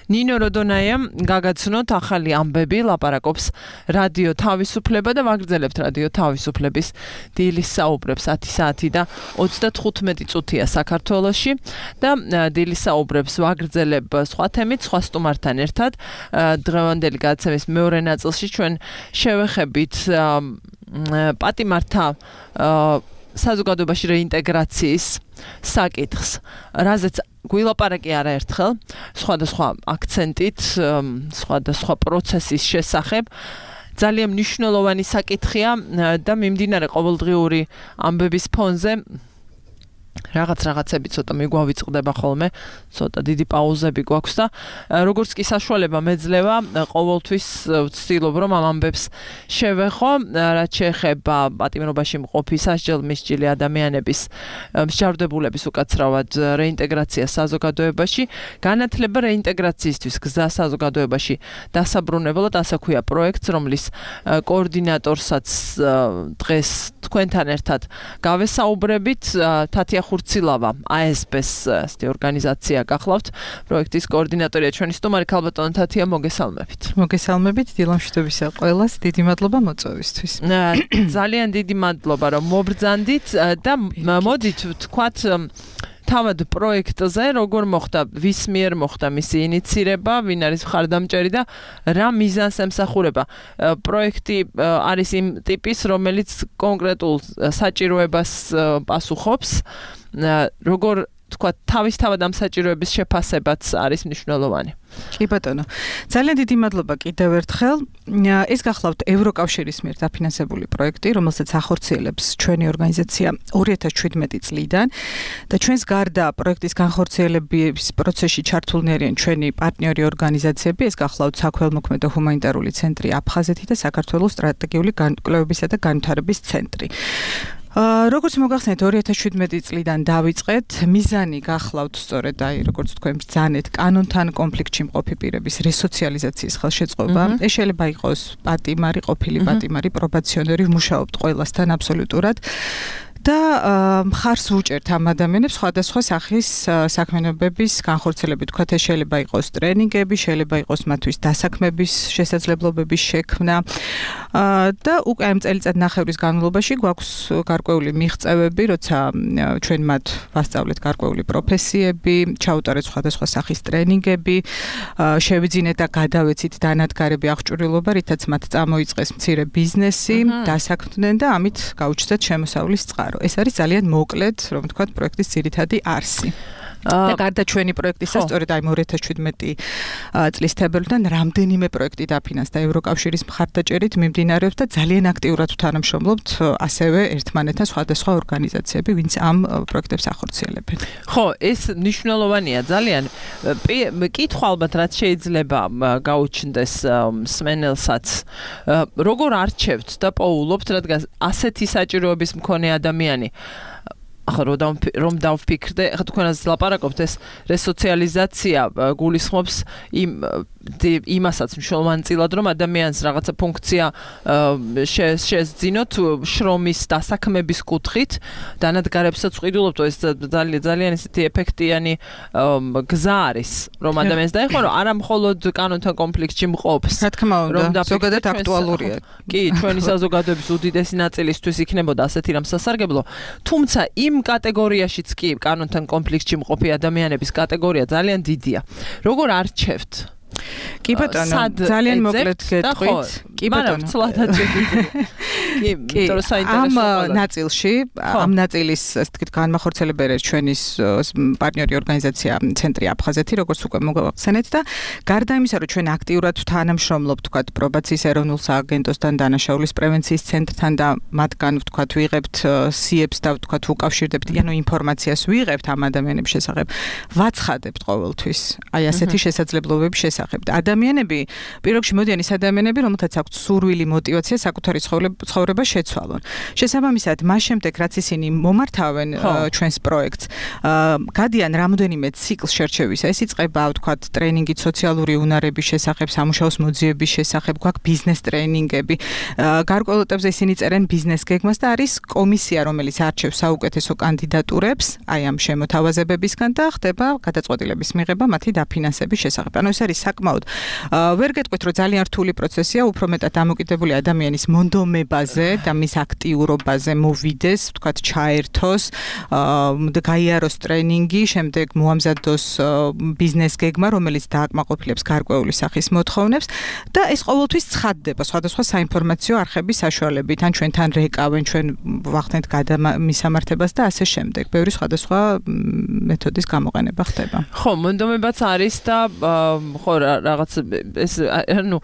B: ნინო როდონაიამ გაგაცნოთ ახალი ამბები, ლაპარაკობს რადიო თავისუფლება და ვაგრძელებთ რადიო თავისუფლების დილის საუბრებს 10 საათი და 35 წუთია საქართველოში და დილის საუბრებს ვაგრძელებ სხვა თემით, სხვა სტუმართან ერთად. დღევანდელი გადაცემის მეორე ნაწილში ჩვენ შევეხებით პატიმართა საზოგადოებაში რეინტეგრაციის საკითხს, რაზეც გვილაპარაკი არაერთხელ, სხვადასხვა აქცენტით, სხვადასხვა პროცესის შესახებ. ძალიან მნიშვნელოვანი საკითხია და მიმდინარე ყოველდღიური ამბების ფონზე რაღაცები ცოტა მიგვავიწყდება ხოლმე, ცოტა დიდი პაუზები გვაქვს და როგორც კი საშუალება მეძლევა, ყოველთვის ვცდილობ რომ ამ ამბებს შევეხო, რაც შეეხება პატიმრობაში მყოფი სასჯელ-მსჯილი ადამიანების მსჯავრდებულების უკაცრავად რეინტეგრაციას საზოგადოებაში, განათლება რეინტეგრაციისთვის გზა საზოგადოებაში დასაბრუნებლად, ასე ქვია პროექტს, რომლის კოორდინატორსაც დღეს თქვენთან ერთად გავესაუბრებით. თათია ხურცილავა ASP-ს ორგანიზაცია გახლავთ, პროექტის კოორდინატორია ჩვენი სტუმარი ქალბატონი თათია, მოგესალმებით.
F: მოგესალმებით, დილამშვიდობისა ყველას, დიდი მადლობა მოწვევისთვის.
B: ძალიან დიდი მადლობა რომ მობრძანდით და მოდით ვთქვათ თავად პროექტზე, როგორ მოხდა, ვის მიერ მოხდა მისი ინიცირება, ვინ არის მხარდამჭერი და რა მიზანს ემსახურება. პროექტი არის იმ ტიპის, რომელიც კონკრეტულ საჭიროებას პასუხობს, როგორ თქვათ, თავისთავად ამ საჭიროების შეფასებაც არის მნიშვნელოვანი.
F: კი ბატონო, ძალიან დიდი მადლობა კიდევ ერთხელ. ეს გახლავთ ევროკავშირის მიერ დაფინანსებული პროექტი, რომელსაც ახორციელებს ჩვენი ორგანიზაცია 2017 წლიდან და ჩვენს გარდა პროექტის განხორციელების პროცესში ჩართულნი არიან ჩვენი პარტნიორი ორგანიზაციები, ეს გახლავთ საქველმოქმედო ჰუმანიტარული ცენტრი აფხაზეთი და საქართველოს სტრატეგიული კვლევებისა და განვითარების ცენტრი. როგორც მოგახსენეთ 2017 წლიდან დავიწყეთ, მიზანი გახლავთ სწორედ როგორც თქვენ ბრძანეთ, კანონთან კონფლიქტში მყოფი პირების რესოციალიზაციის ხელშეწყობა. ეს შეიძლება იყოს პატიმარი, ყოფილი პატიმარი, პრობაციონერი, ვმუშაობთ ყველასთან აბსოლუტურად. და მხარს ვუჭერთ ამ ადამიანებს სხვადასხვა სახის საქმიანობების განხორციელებით. თქვათ, ეს შეიძლება იყოს ტრენინგები, შეიძლება იყოს მათთვის დასაქმების შესაძლებლობების შექმნა და უკვე ამ წელიწადნახევრის განმავლობაში გვაქვს გარკვეული მიღწევები, როცა ჩვენ მათ ვასწავლეთ გარკვეული პროფესიები, ჩაუტარეთ სხვადასხვა სახის ტრენინგები, შევიძინეთ და გადავეცით დანადგარები აღჭურვილობა, რითაც მათ წამოიწყეს მცირე ბიზნესი, დასაქმდნენ და ამით გაუჩნდათ შემოსავლის წყარო. ეს არის ძალიან მოკლედ, რომ ვთქვათ, პროექტის ძირითადი არსი. და გარდა ჩვენი პროექტისა, სწორედ აი 2017 წლის თებერვლიდან რამდენიმე პროექტი დაფინანსდა ევროკავშირის მხარდაჭერით მიმდინარეობს და ძალიან აქტიურად ვთანამშრომლობთ ასევე ერთმანეთთან სხვადასხვა ორგანიზაციები, ვინც ამ პროექტებს ახორციელებენ.
B: ხო, ეს მნიშვნელოვანია ძალიან. კითხვა ალბათ რაც შეიძლება გაუჩნდეს მსმენელსაც, როგორ არჩევთ და პოულობთ, რადგან ასეთი საჭიროების მქონე ადამიანი ახლა რომ დავფიქრდე, ახლა თქვენაც ლაპარაკობთ, ეს რესოციალიზაცია გულისხმობს იმ იმასაც მნიშვნელოვანწილად რომ ადამიანს რაღაცა ფუნქცია შეძინოთ შრომის დასაქმების კუთხით დანადგარებსაც ვყიდულობთ ეს ძალიან ისეთი ეფექტიანი გზა არის რომ ადამიანს დაეხო რომ არა მხოლოდ კანონთან კონფლიქტში მყოფს
F: რა თქმა უნდა ზოგადად აქტუალურია
B: კი ჩვენი საზოგადოების უდიდესი ნაწილისთვის იქნებოდა ასეთი რამ სასარგებლო თუმცა იმ კატეგორიაშიც კი კანონთან კონფლიქტში მყოფი ადამიანების კატეგორია ძალიან დიდია როგორ არჩევთ
F: კი ბატონო ძალიან მოკლედ გეტყვით კი ბატონო კი ამ ნაწილში ამ ნაწილის ასე ვთქვით განმახორციელებელი ჩვენის პარტნიორი ორგანიზაცია ცენტრი აფხაზეთი როგორც უკვე მოგახსენეთ და გარდა იმისა რომ ჩვენ აქტიურად თანამშრომლობთ ვთქვათ პრობაციის ეროვნულ სააგენტოსთან დანაშაულის პრევენციის ცენტრთან და მათგან ვთქვათ ვიღებთ სიებს და ვთქვათ უკავშირდებთ ანუ ინფორმაციას ვიღებთ ამ ადამიანების შესახებ ვაცხადებთ ყოველთვის აი ასეთი შესაძლებლობების შესახებ ადამიანები პირველში მოდიან ის ადამიანები რომელთაც აქვთ სურვილი მოტივაცია საკუთარი ცხოვრება შეცვალონ შესაბამისად მას შემდეგ რაც ისინი მომართავენ ჩვენს პროექტს გადიან რამოდენიმე ციკლს შერჩევისა ეს იწყება ვთქვათ ტრენინგით სოციალური უნარების შესახებ სამუშაოს მოძიების შესახებ გვაქვს ბიზნეს ტრენინგები გარკვეულ ეტაპზე ისინი წერენ ბიზნეს გეგმას და არის კომისია რომელიც არჩევს საუკეთესო კანდიდატურებს აი ამ შემოთავაზებებისგან და ხდება გადაწყვეტილების მიღება მათი დაფინანსების შესახებ ანუ ეს არის საკმაოდ ვერ გეტყვით რომ ძალიან რთული პროცესია უფრო მეტად დამოკიდებული ადამიანის მონდომებაზე და მის აქტიურობაზე მოვიდეს ვთქვათ ჩაერთოს გაიაროს ტრენინგი შემდეგ მოამზადოს ბიზნეს გეგმა რომელიც დააკმაყოფილებს გარკვეული სახის მოთხოვნებს და ეს ყოველთვის ცხადდება სხვადასხვა საინფორმაციო არხების საშუალებით ან ჩვენთან რეკავენ ჩვენ ვახდენთ გადამისამართებას და ასე შემდეგ ბევრი სხვადასხვა მეთოდის გამოყენება ხდება
B: ხო მონდომებაც არის და ხო რაღაც ეს ანუ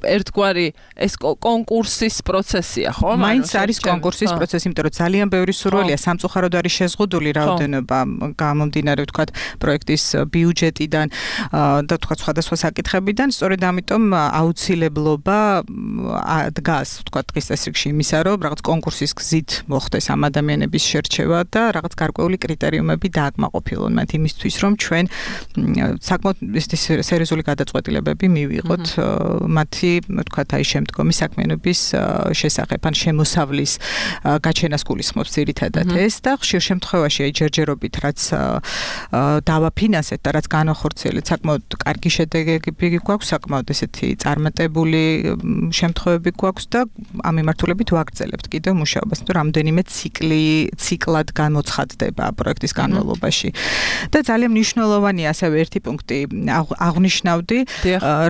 B: ერთგვარი ეს კონკურსის პროცესია ხო
F: მაინც არის კონკურსის პროცესი იმიტომ რომ ძალიან ბევრი სურვილია სამწუხაროდ არის შეზღუდული რაოდენობა გამომდინარე ვთქვათ პროექტის ბიუჯეტიდან და ვთქვათ სხვადასხვა საკითხებიდან სწორედ ამიტომ აუცილებლობა დგას ვთქვათ დღის წესრიგში იმისა რომ რაღაც კონკურსის გზით მოხდეს ამ ადამიანების შერჩევა და რაღაც გარკვეული კრიტერიუმები დააკმაყოფილონ მათ იმისთვის რომ ჩვენ საკმაოდ სერიოზული გადაწყვეტილებები მივიღოთ მათი ვთქვათ აი შემდგომი საქმიანობის შესახებ ან შემოსავლის გაჩენას გულისხმობს ძირითადად ეს და ხშირ შემთხვევაში აი ჯერჯერობით რაც დავაფინანსეთ და რაც განახორციელეთ საკმაოდ კარგი შედეგები გვაქვს საკმაოდ ესეთი წარმატებული შემთხვევები გვაქვს და ამ მიმართულებით ვაგრძელებთ კიდევ მუშაობას თუ რამდენიმე ციკლად გამოცხადდება პროექტის განმავლობაში და ძალიან მნიშვნელოვანია ასევე ერთი პუნქტი აღნიშნავდი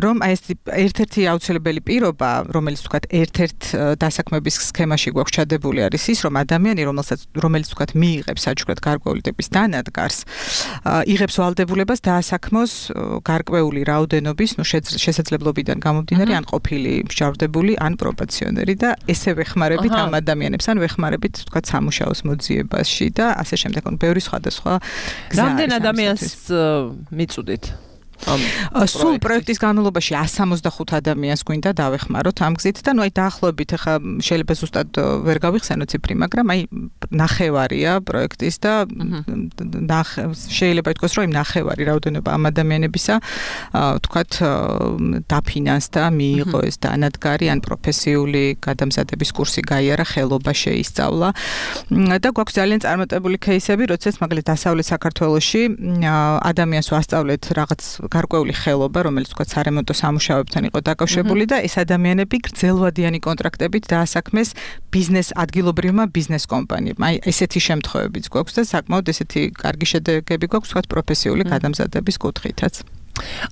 F: რომ აი ეს ერთ-ერთი აუცილებელი პირობა რომელიც ვთქვათ ერთ-ერთ დასაქმების სქემაში გვაქვს ჩადებული არის ის რომ ადამიანი რომელიც ვთქვათ მიიღებს საჩუქრად გარკვეული ტიპის დანადგარს იღებს ვალდებულებას დაასაქმოს გარკვეული რაოდენობის შესაძლებლობიდან გამომდინარე ან ყოფილი მსჯავრდებული ან პრობაციონერი და ესე ვეხმარებით ამ ადამიანებს ან ვეხმარებით ვთქვათ სამუშაოს მოძიებაში და ასე შემდეგ ბევრი სხვადასხვა გზა
B: რამდენ ადამიანს მიწუდით
F: სულ პროექტის განმავლობაში 165 ადამიანს გვინდა დავეხმაროთ ამ გზით და ნუ აი დაახლოებით ახლა შეიძლება ზუსტად ვერ გავიხსენო ციფრი მაგრამ აი ნახევარია პროექტის და შეიძლება ითქვას რომ ნახევარი რაოდენობა ამ ადამიანებისა ვთქვათ დაფინანსდა მიიღო ეს დანადგარი ან პროფესიული გადამზადების კურსი გაიარა ხელობა შეისწავლა და გვაქვს ძალიან წარმატებული кейსები როდესაც მაგალითად დასავლეთ საქართველოში ადამიანს ვასწავლეთ რაღაც გარკვეული ხელობა, რომელიც თქვა სარემონტო სამუშაოებთან იყო დაკავშირებული და ეს ადამიანები გრძელვადიანი კონტრაქტებით დაასაქმეს ადგილობრივმა ბიზნეს კომპანიებმა. აი ესეთი შემთხვევებიც გვაქვს და საკმაოდ ესეთი კარგი შედეგები გვაქვს თქვა პროფესიული გადამზადების კუთხითაც.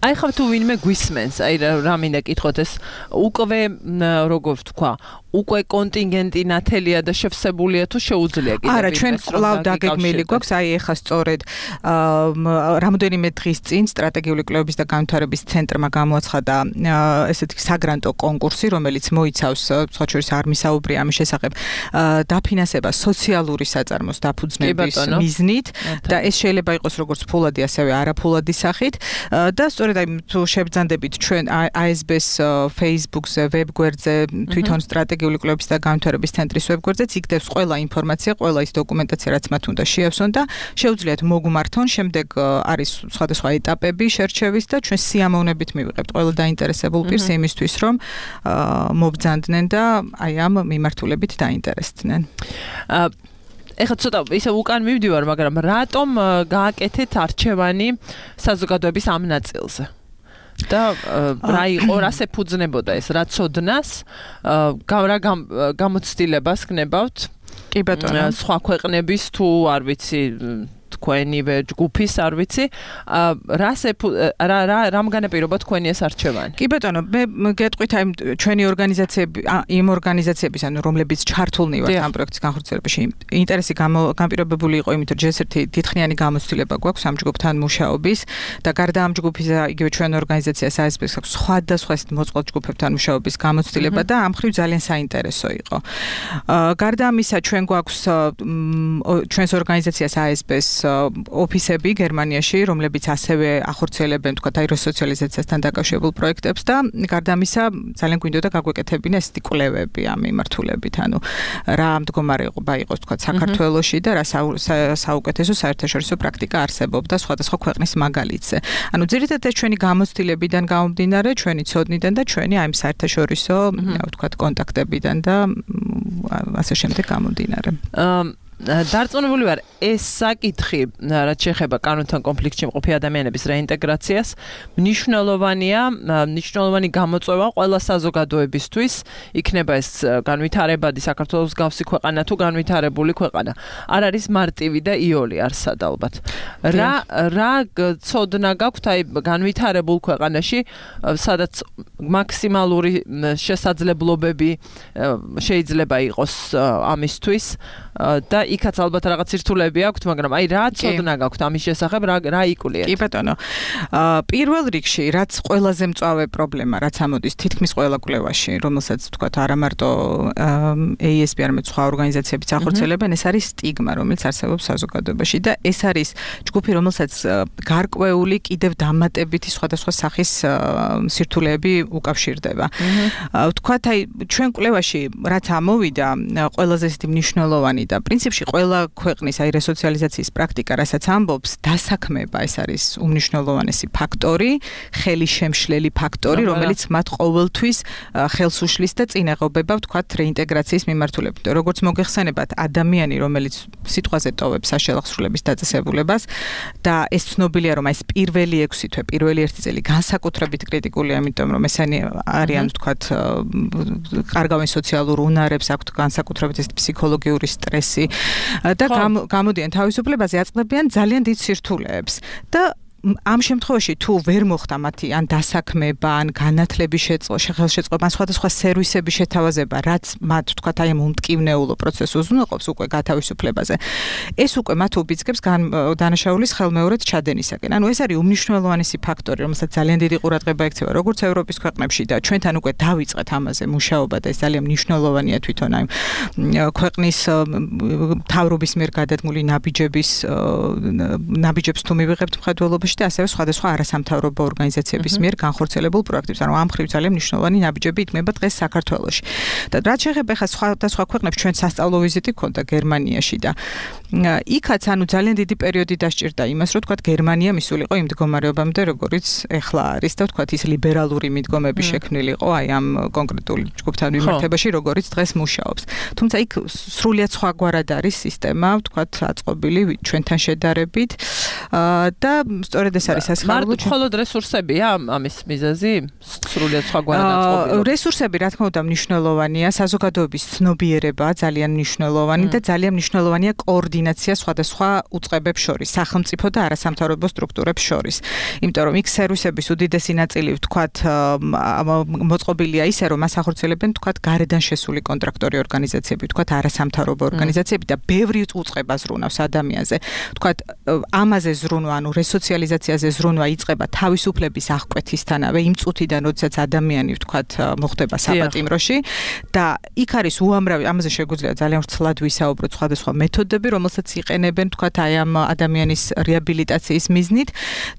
B: აი ხა თუ ვინმე გვისმენს, აი რა მინდა კითხოთ ეს უკვე როგორ ვთქვა, უკვე კონტინგენტი ნათელია და შევსებულია თუ შეუძლია კიდევ
F: არა ჩვენ კვლავ დაგეგმილი გვაქვს აი ეხა სწორედ რამოდენიმე დღის წინ სტრატეგიული კვლევების და განვითარების ცენტრმა გამოაცხადა ესეთი საგრანტო კონკურსი რომელიც მოიცავს სხვაჩვერის არ მისაუბრია ამის შესახებ დაფინანსება სოციალური საწარმოს დაფუძნების მიზნით და ეს შეიძლება იყოს როგორც ფულადი ასევე არაფულადი სახით და სწორედ აი თუ შევბრძანდებით ჩვენ ASB-ს Facebook-ზე, ვებ გვერდზე თვითონ სტრატეგიული სტრატეგიული კვლევების და განვითარების ცენტრის ვებგვერდზეც იქ დევს ყველა ინფორმაცია, ყველა ის დოკუმენტაცია, რაც მათ უნდა შეავსონ და შეუძლიათ მოგმართონ. შემდეგ არის სხვადასხვა ეტაპები შერჩევის და ჩვენ სიამოვნებით მივიღებთ ყველა დაინტერესებულ პირს იმისთვის, რომ მობრძანდნენ და აი ამ მიმართულებით დაინტერესდნენ.
B: ეხლა ცოტა ისე უკან მივდივარ, მაგრამ რატომ გააკეთეთ არჩევანი საზოგადოების ამ ნაწილზე? და რა იყო, რას ეფუძნებოდა ეს, რა ცოდნას, რა გამოცდილებას გნებავთ?
F: კი ბატონო,
B: სხვა ქვეყნების თუ არ ვიცი თქვენივე ჯგუფის არ ვიცი რამ განაპირობა თქვენი ეს არჩევანი?
F: კი ბატონო, მე გეტყვით აი ჩვენი ორგანიზაციები, იმ ორგანიზაციების, ანუ რომლებიც ჩართულნი ვართ ამ პროექტის განხორციელებაში, ინტერესი განპირობებული იყო იმით, რომ ჯერ ერთი დიდხნიანი გამოცდილება გვაქვს ამ ჯგუფთან მუშაობის და გარდა ამ ჯგუფისა, იგივე ჩვენ ორგანიზაციას ASB-ს აქვს სხვადასხვა მოწყობილ ჯგუფებთან მუშაობის გამოცდილება და ამ მხრივ ძალიან საინტერესო იყო. გარდა ამისა, ჩვენ გვაქვს ჩვენს ორგანიზაციას ASB-ს ოფისები გერმანიაში, რომლებიც ასევე ახორციელებენ თქვა აი რესოციალიზაციასთან დაკავშირებულ პროექტებს და გარდა ამისა ძალიან გვინდოდა გაგვეკეთებინა ესეთი კვლევები ამ მიმართულებით, ანუ რა მდგომარეობა იყოს თქვა საქართველოში და რა საუკეთესო საერთაშორისო პრაქტიკა არსებობდა სხვადასხვა ქვეყნის მაგალითზე. ანუ ძირითადად ჩვენი გამოცდილებიდან გამომდინარე, ჩვენი ცოდნიდან და ჩვენი აი საერთაშორისო თქვა კონტაქტებიდან და ასე შემდეგ გამომდინარე.
B: დარწმუნებული ვარ, ეს საკითხი, რაც შეეხება კანონთან კონფლიქტში მყოფი ადამიანების რეინტეგრაციას, მნიშვნელოვანი გამოწვევა ყველა საზოგადოებისთვის, იქნება ეს განვითარებადი საქართველოს გავსი ქვეყანა თუ განვითარებული ქვეყანა. არ არის მარტივი და იოლი არსად ალბათ. რა ცოდნა გაქვთ აი განვითარებულ ქვეყანაში, სადაც მაქსიმალური შესაძლებლობები შეიძლება იყოს ამისთვის და იქაც ალბათ რაღაც სირთულეები აქვთ, მაგრამ აი რა ცოდნა გაქვთ ამის შესახებ, რა იკულიათ?
F: კი ბატონო. პირველ რიგში, რაც ყველაზე მწვავე პრობლემა, რაც ამოდის თითქმის ყველა კვლევაში, რომელსაც თქვათ არა მარტო ASB, არამედ სხვა ორგანიზაციებიც ახორციელებენ, ეს არის სტიგმა, რომელიც არსებობს საზოგადოებაში და ეს არის ჯგუფი, რომელსაც გარკვეული კიდევ დამატებითი სხვადასხვა სახის სირთულეები უკავშირდება. თქვათ აი ჩვენ კვლევაში რაც ამოვიდა, ყველაზე ისეთი მნიშვნელოვანი და პრინციპში ყველა ქვეყნის აი რესოციალიზაციის პრაქტიკა, რასაც ამბობს, დასაქმება ეს არის უმნიშვნელოვანესი ფაქტორი, ხელისშემშლელი ფაქტორი, რომელიც მათ ყოველთვის ხელს უშლის და წინაღობება ვთქვათ რეინტეგრაციის მიმართულებით. როგორც მოგეხსენებათ, ადამიანი, რომელიც სიტყვაზე ტოვებს საშუალო სრულების დაწესებულებას და ეს ცნობილია, რომ ეს პირველი 6 თვე, პირველი 1 წელი განსაკუთრებით კრიტიკულია, იმიტომ რომ ესენი არიან ვთქვათ კარგავენ სოციალურ უნარებს, აქვთ განსაკუთრებით ეს ფსიქოლოგიური სტრესი და გამოდიან თავისუფლებაზე, აწყდებიან ძალიან დიდ სირთულეებს და ამ შემთხვევაში თუ ვერ მოხდა მათი ან დასაქმება, ან განათლების ხელშეწყობა, ან სხვადასხვა სერვისების შეთავაზება, რაც მათ თქვათ აი ამ უმტკივნეულო პროცესს უზრუნველყოფს უკვე გათავისუფლებაზე, ეს უკვე მათ უბიძგებს დანაშაულის ხელმეორედ ჩადენისაკენ. ანუ ეს არის უმნიშვნელოვანესი ფაქტორი, რომელსაც ძალიან დიდი ყურადღება ექცევა როგორც ევროპის ქვეყნებში და ჩვენთან უკვე დავიწყეთ ამაზე მუშაობა და ეს ძალიან მნიშვნელოვანია თვითონ აი ქვეყნის მთავრობის მიერ გადადგმული ნაბიჯებს თუ მივიღებთ მხედველობაში და ასევე სხვადასხვა არასამთავრობო ორგანიზაციების მიერ განხორციელებულ პროექტებს. ანუ ამ მხრივ ძალიან მნიშვნელოვანი ნაბიჯები იქმნება დღეს საქართველოში. და რაც შეეხება ხა სხვადასხვა ქვეყნებს, ჩვენ სასწავლო ვიზიტი გქონდა გერმანიაში და იქაც ანუ ძალიან დიდი პერიოდი დასჭირდა იმას, რომ თქვათ გერმანია მისულიყო იმ მდგომარეობამდე, როგორიც ეხლა არის და თქვათ ის ლიბერალური მიდგომები შექმნილიყო აი ამ კონკრეტული ჯგუფთან მიმართებაში, როგორიც დღეს მუშაობს. თუმცა იქ სრულიად სხვაგვარად არის სისტემა, თქვათ აწყობილი ჩვენთან შედარებით და სწორედ ეს არის სასიხარულო.
B: მხოლოდ რესურსებია ამის მიზეზი? სრულიად სხვაგვარად აწყობილი.
F: რესურსები რა თქმა უნდა მნიშვნელოვანია, საზოგადოების ცნობიერება ძალიან მნიშვნელოვანი და ძალიან მნიშვნელოვანია კოორდინაცია სხვადასხვა უწყებებს შორის, სახელმწიფო და არასამთავრობო სტრუქტურებს შორის. იმიტომ რომ იქ სერვისების უდიდესი ნაწილი ვთქვათ მოწყობილია ისე, რომ მას ახორციელებენ ვთქვათ გარედან შესული კონტრაქტორი ორგანიზაციები, ვთქვათ არასამთავრობო ორგანიზაციები და ბევრი უწყება ზრუნავს ადამიანზე. ვთქვათ ამაზე ზრუნვა, ანუ რესოციალიზაცია ორგანიზაციაზე ზრუნვა იწყება თავისუფლების აღკვეთისთანავე, იმ წუთიდან, როდესაც ადამიანი ვთქვათ მოხდება საპატიმროში და იქ არის უამრავი, ამაზე შეგვიძლია ძალიან ვრცლად ვისაუბროთ სხვადასხვა მეთოდები, რომელსაც იყენებენ ვთქვათ აი ამ ადამიანის რეაბილიტაციის მიზნით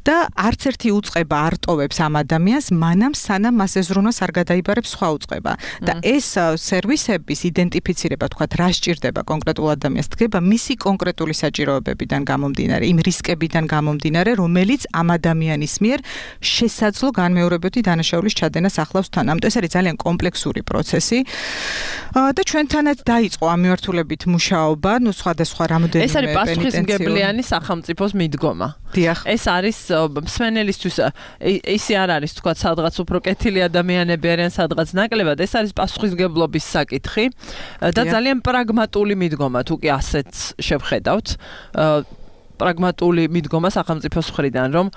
F: და არც ერთი უწყება არ ტოვებს ამ ადამიანს, მანამ სანამ მას ეზრუნვას არ გადაიბარებს სხვა უწყება. და ეს სერვისების იდენტიფიცირება ვთქვათ რა სჭირდება კონკრეტულ ადამიანს დგება მისი კონკრეტული საჭიროებებიდან გამომდინარე, იმ რისკებიდან გამომდინარე, რომელიც ამ ადამიანის მიერ შესაძლო განმეორებითი დანაშაულის ჩადენას ახლავს თან. ამიტომ ეს არის ძალიან კომპლექსური პროცესი. და ჩვენთანაც დაიწყო ამ მიმართულებით მუშაობა, ნუ სხვადასხვა რამოდენიმე
B: ეს არის პასუხისმგებლიანი სახელმწიფოს მიდგომა.
F: დიახ.
B: ეს არის მსმენელისთვის ისე არ არის თქვა სადღაც უფრო კეთილი ადამიანები არიან სადღაც ნაკლებად, ეს არის პასუხისმგებლობის საკითხი და ძალიან პრაგმატული მიდგომა თუ კი ასეც შევხედავთ. პრაგმატული მიდგომა სახელმწიფოს მხრიდან, რომ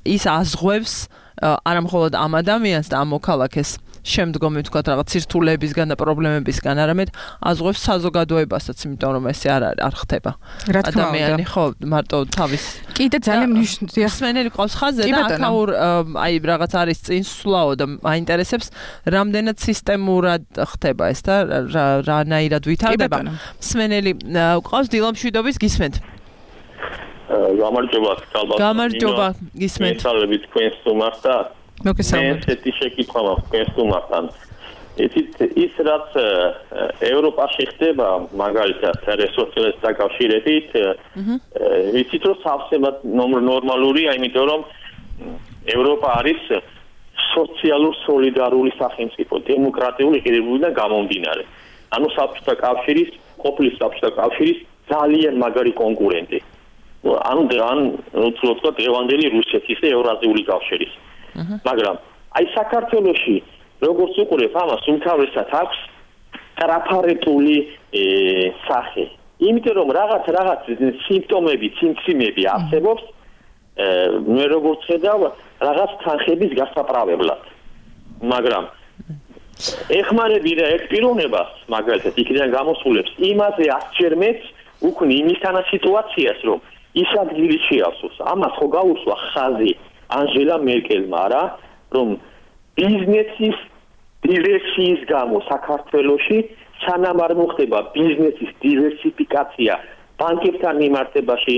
B: ის აზღვევს არა მხოლოდ ამ ადამიანს და ამ მოქალაქეს შემდგომი თქვა რაღაც ცირთულებისგან და პრობლემებისგან, არამედ აზღვევს საზოგადოებასაც, იმიტომ რომ ესე არ ხდება. ადამიანი ხო მარტო თავის
F: კიდე ძალიან მნიშვნელოვანია.
B: მსმენელი ყავს ხაზზე და აქაურ აი რაღაც არის წინსვლაო და მაინტერესებს რამდენად სისტემურად ხდება ეს და რანაირად ვითარდება. მსმენელი ყავს დილამშვიდობის გისმენთ. გამარჯობა გისმენთ.
G: მესალმებით თქვენს სტუმარს და
F: მოგესალმებით.
G: ესეთი შეკითხვა მაქვს თქვენს სტუმართან. ის რაც ევროპაში ხდება, მაგალითად რესურსების დაკავშირებით, ვიცით რომ სავსემად ნორმალურია, იმიტომ რომ ევროპა არის სოციალურ სოლიდარული სახელმწიფო, დემოკრატიული ღირებულებიდან გამომდინარე. ანუ საბჭოთა კავშირის, ყოფილი საბჭოთა კავშირის ძალიან მაგარი კონკურენტი. ანუ უცვლოდ დღევანდელი რუსეთის და ევრაზიული კავშირის. მაგრამ აი საქართველოში როგორც უყურებ ამას უმთავრესად აქვს ტრაფარეტული სახე. იმიტომ რომ რაღაც სიმპტომები, სიმციმები არსებობს, მე როგორც ხედავ, რაღაც თანხების გასაправებლად. მაგრამ ეხმარები და ერთ პიროვნებას, მაგალითად, იქიდან გამოსულებს, იმაზე ასჯერმეთ უქმნი იმისთანა სიტუაციას, რომ ის ადგილი შეავსოს. ამას ხო გაუსვა ხაზი ანჟელა მერკელმა რა, რომ ბიზნესის დივერსიის გამო საქართველოში სანამ არ მოხდება ბიზნესის დივერსიფიკაცია ბანკებთან მიმართებაში,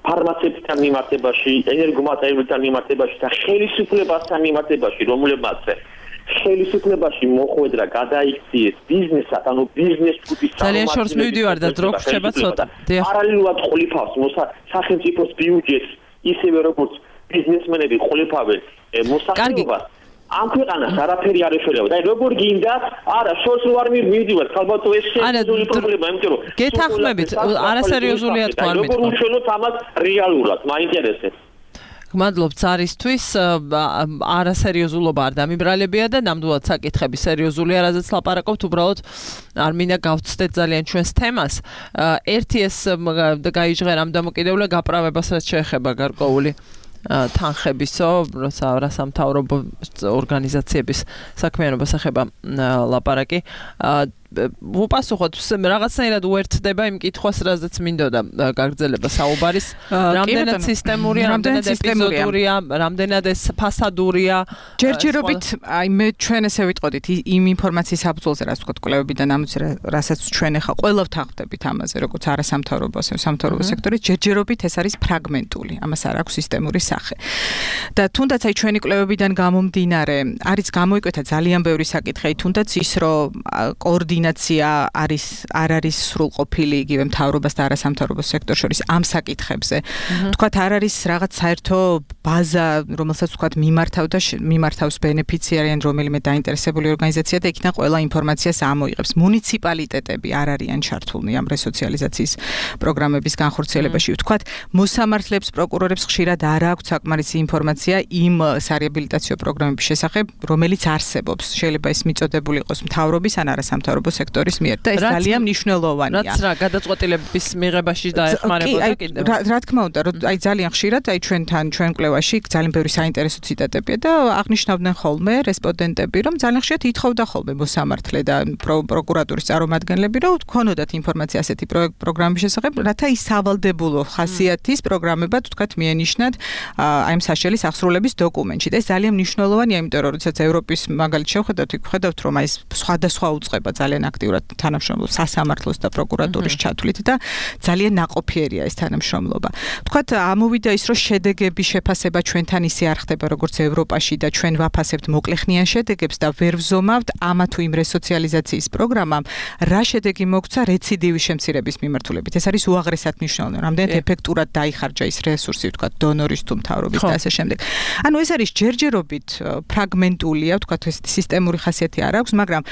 G: ფარმაცევტებთან მიმართებაში, ენერგომატერიალებთან მიმართებაში და ხელისუფლებასთან მიმართებაში, რომლებმაც ხელისუფლებაში მოხვედრა გადაიქციეს ბიზნესად, ანუ ბიზნეს ჯგუფის
B: ძალიან შორს მივდივარ და დრო გრჩება ცოტა.
G: პარალელურად ყოლიფავს სახელმწიფოს ბიუჯეტს, ისევე როგორც ბიზნესმენები ყოლიფავენ მოსახლეობას. ამ ქვეყანას არაფერი არ ეშველება. და როგორ გინდა? არა, შორს ვარ მივდივარ, ალბათ ეს სერიოზული პრობლემა, იმიტომ რომ
B: გეთანხმებით, არასერიოზულია თქვა არ მეთქვა.
G: როგორ უშველოთ ამას რეალურად, მაინტერესებს.
B: გმადლობთ ზარისთვის, არასერიოზულობა არ დამიბრალებია და ნამდვილად საკითხები სერიოზულია, რაზეც ლაპარაკობთ, უბრალოდ არ მინდა გავცდეთ ძალიან ჩვენს თემას. ერთი ეს გაიჟღერა ამ დამოკიდებულება გაправებას რაც შეეხება გარკვეული თანხებისო, როცა სამთავრობო ორგანიზაციების საქმიანობას ეხება ლაპარაკი. ვუპასუხოთ, რაღაცნაირად უერთდება იმ კითხვას, რაზეც მინდოდა გაგრძელება საუბარის, რამდენად სისტემურია, რამდენად ეპიზოდურია, რამდენად ეს ფასადურია.
F: ჯერჯერობით, აი მე ჩვენ ესე ვიტყოდით იმ ინფორმაციის აბრძოლზე, რაც ვთქვათ, კვლევებიდან ამოწ რასაც ჩვენ ახლა ყველა ვთანხმდებით ამაზე, როგორც არასამთავრობო, ასე სამთავრობო სექტორი, ჯერჯერობით ეს არის ფრაგმენტული, ამას არ აქვს სისტემური სახე. და თუნდაც აი ჩვენი კვლევებიდან გამომდინარე, არის გამოიკვეთა ძალიან ბევრი საკითხი, თუნდაც ის, რომ კოორდინაცია არ არის სრულყოფილი იგივე მთავრობას და არასამთავრობო სექტორს შორის ამ საკითხებზე. თქვათ არ არის რაღაც საერთო ბაზა, რომელსაც თქვათ მიმართავს ბენეფიციარი ან რომელიმე დაინტერესებული ორგანიზაცია და იქიდან ყველა ინფორმაციას ამოიღებს. მუნიციპალიტეტები არ არიან ჩართულნი ამ რესოციალიზაციის პროგრამების განხორციელებაში. თქვათ მოსამართლეებს, პროკურორებს ხშირად არ აქვთ საკმარისი ინფორმაცია იმ სარეაბილიტაციო პროგრამების შესახებ, რომელიც არსებობს. შეიძლება ეს მიწოდებული იყოს მთავრობის ან არასამთავრობო სასამართლო სექტორის მიერ და ეს ძალიან მნიშვნელოვანია.
B: რაც რა გადაწყვეტილების მიღებაში დაეხმარებოდა კიდევ.
F: რა თქმა უნდა, რომ აი ძალიან ხშირად აი ჩვენ კვლევაში ძალიან ბევრი საინტერესო ციტატებია და აღნიშნავდნენ ხოლმე რესპონდენტები, რომ ძალიან ხშირად ითხოვდა ხოლმე მოსამართლე და პროკურატურის წარმომადგენლები, რომ გქონოდათ ინფორმაცია ასეთი პროგრამის შესახებ, რათა ის სავალდებულო ხასიათის პროგრამებად თქვათ მიანიშნათ აი ამ საშელის აღსრულების დოკუმენტში. და ეს ძალიან მნიშვნელოვანია, იმიტომ რომ როდესაც ევროპის მაგალითს შევხედავთ, ვხედავთ, რომ აი ეს სხვადასხვა უწყება ძალიან აქტიურად თანამშრომლობს სასამართლოს და პროკურატურის ჩათვლით და ძალიან ნაყოფიერია ეს თანამშრომლობა. თქვათ ამოვიდა ის, რომ შედეგების შეფასება ჩვენთან ისე არ ხდება, როგორც ევროპაში და ჩვენ ვაფასებთ მოკლეხნიან შედეგებს და ვერ ვზომავთ ამა თუ იმ რესოციალიზაციის პროგრამამ რა შედეგი მოგცა რეციდივის შემცირების მიმართულებით. ეს არის უაღრესად მნიშვნელოვანი. რამდენად ეფექტურად დაიხარჯა ის რესურსი, თქვათ დონორის თუ მთავრობის და ასე შემდეგ. ანუ ეს არის ჯერჯერობით ფრაგმენტულია, თქვათ ეს სისტემური ხასიათი არ აქვს, მაგრამ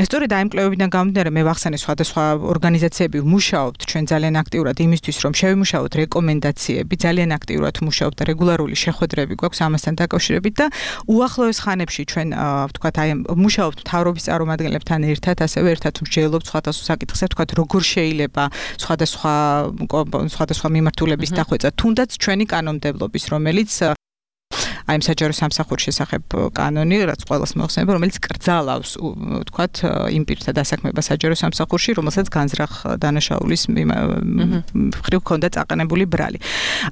F: სწორედ აი ამ კვლევებიდან გამომდინარე მე ვახსენე სხვადასხვა ორგანიზაციები ვმუშაობთ ჩვენ ძალიან აქტიურად იმისთვის, რომ შევიმუშაოთ რეკომენდაციები, ძალიან აქტიურად ვმუშაობთ და რეგულარული შეხვედრები გვაქვს ამასთან დაკავშირებით და უახლოეს ხანებში ჩვენ ვთქვათ აი ვმუშაობთ მთავრობის წარმომადგენლებთან ერთად, ასევე ერთად მსჯელობთ სხვადასხვა საკითხებზე, ვთქვათ როგორ შეიძლება სხვადასხვა მიმართულების დახვეწა, თუნდაც ჩვენი კანონმდებლობის, რომელიც აი საჯარო სამსახურის შესახებ კანონი, რაც ყველას მოახსენება, რომელიც კრძალავს, ვთქვათ, იმ პირთა დასაქმებას საჯარო სამსახურში, რომელსაც განზრახ დანაშაულის მხრივ ჰქონდა წაყენებული ბრალი.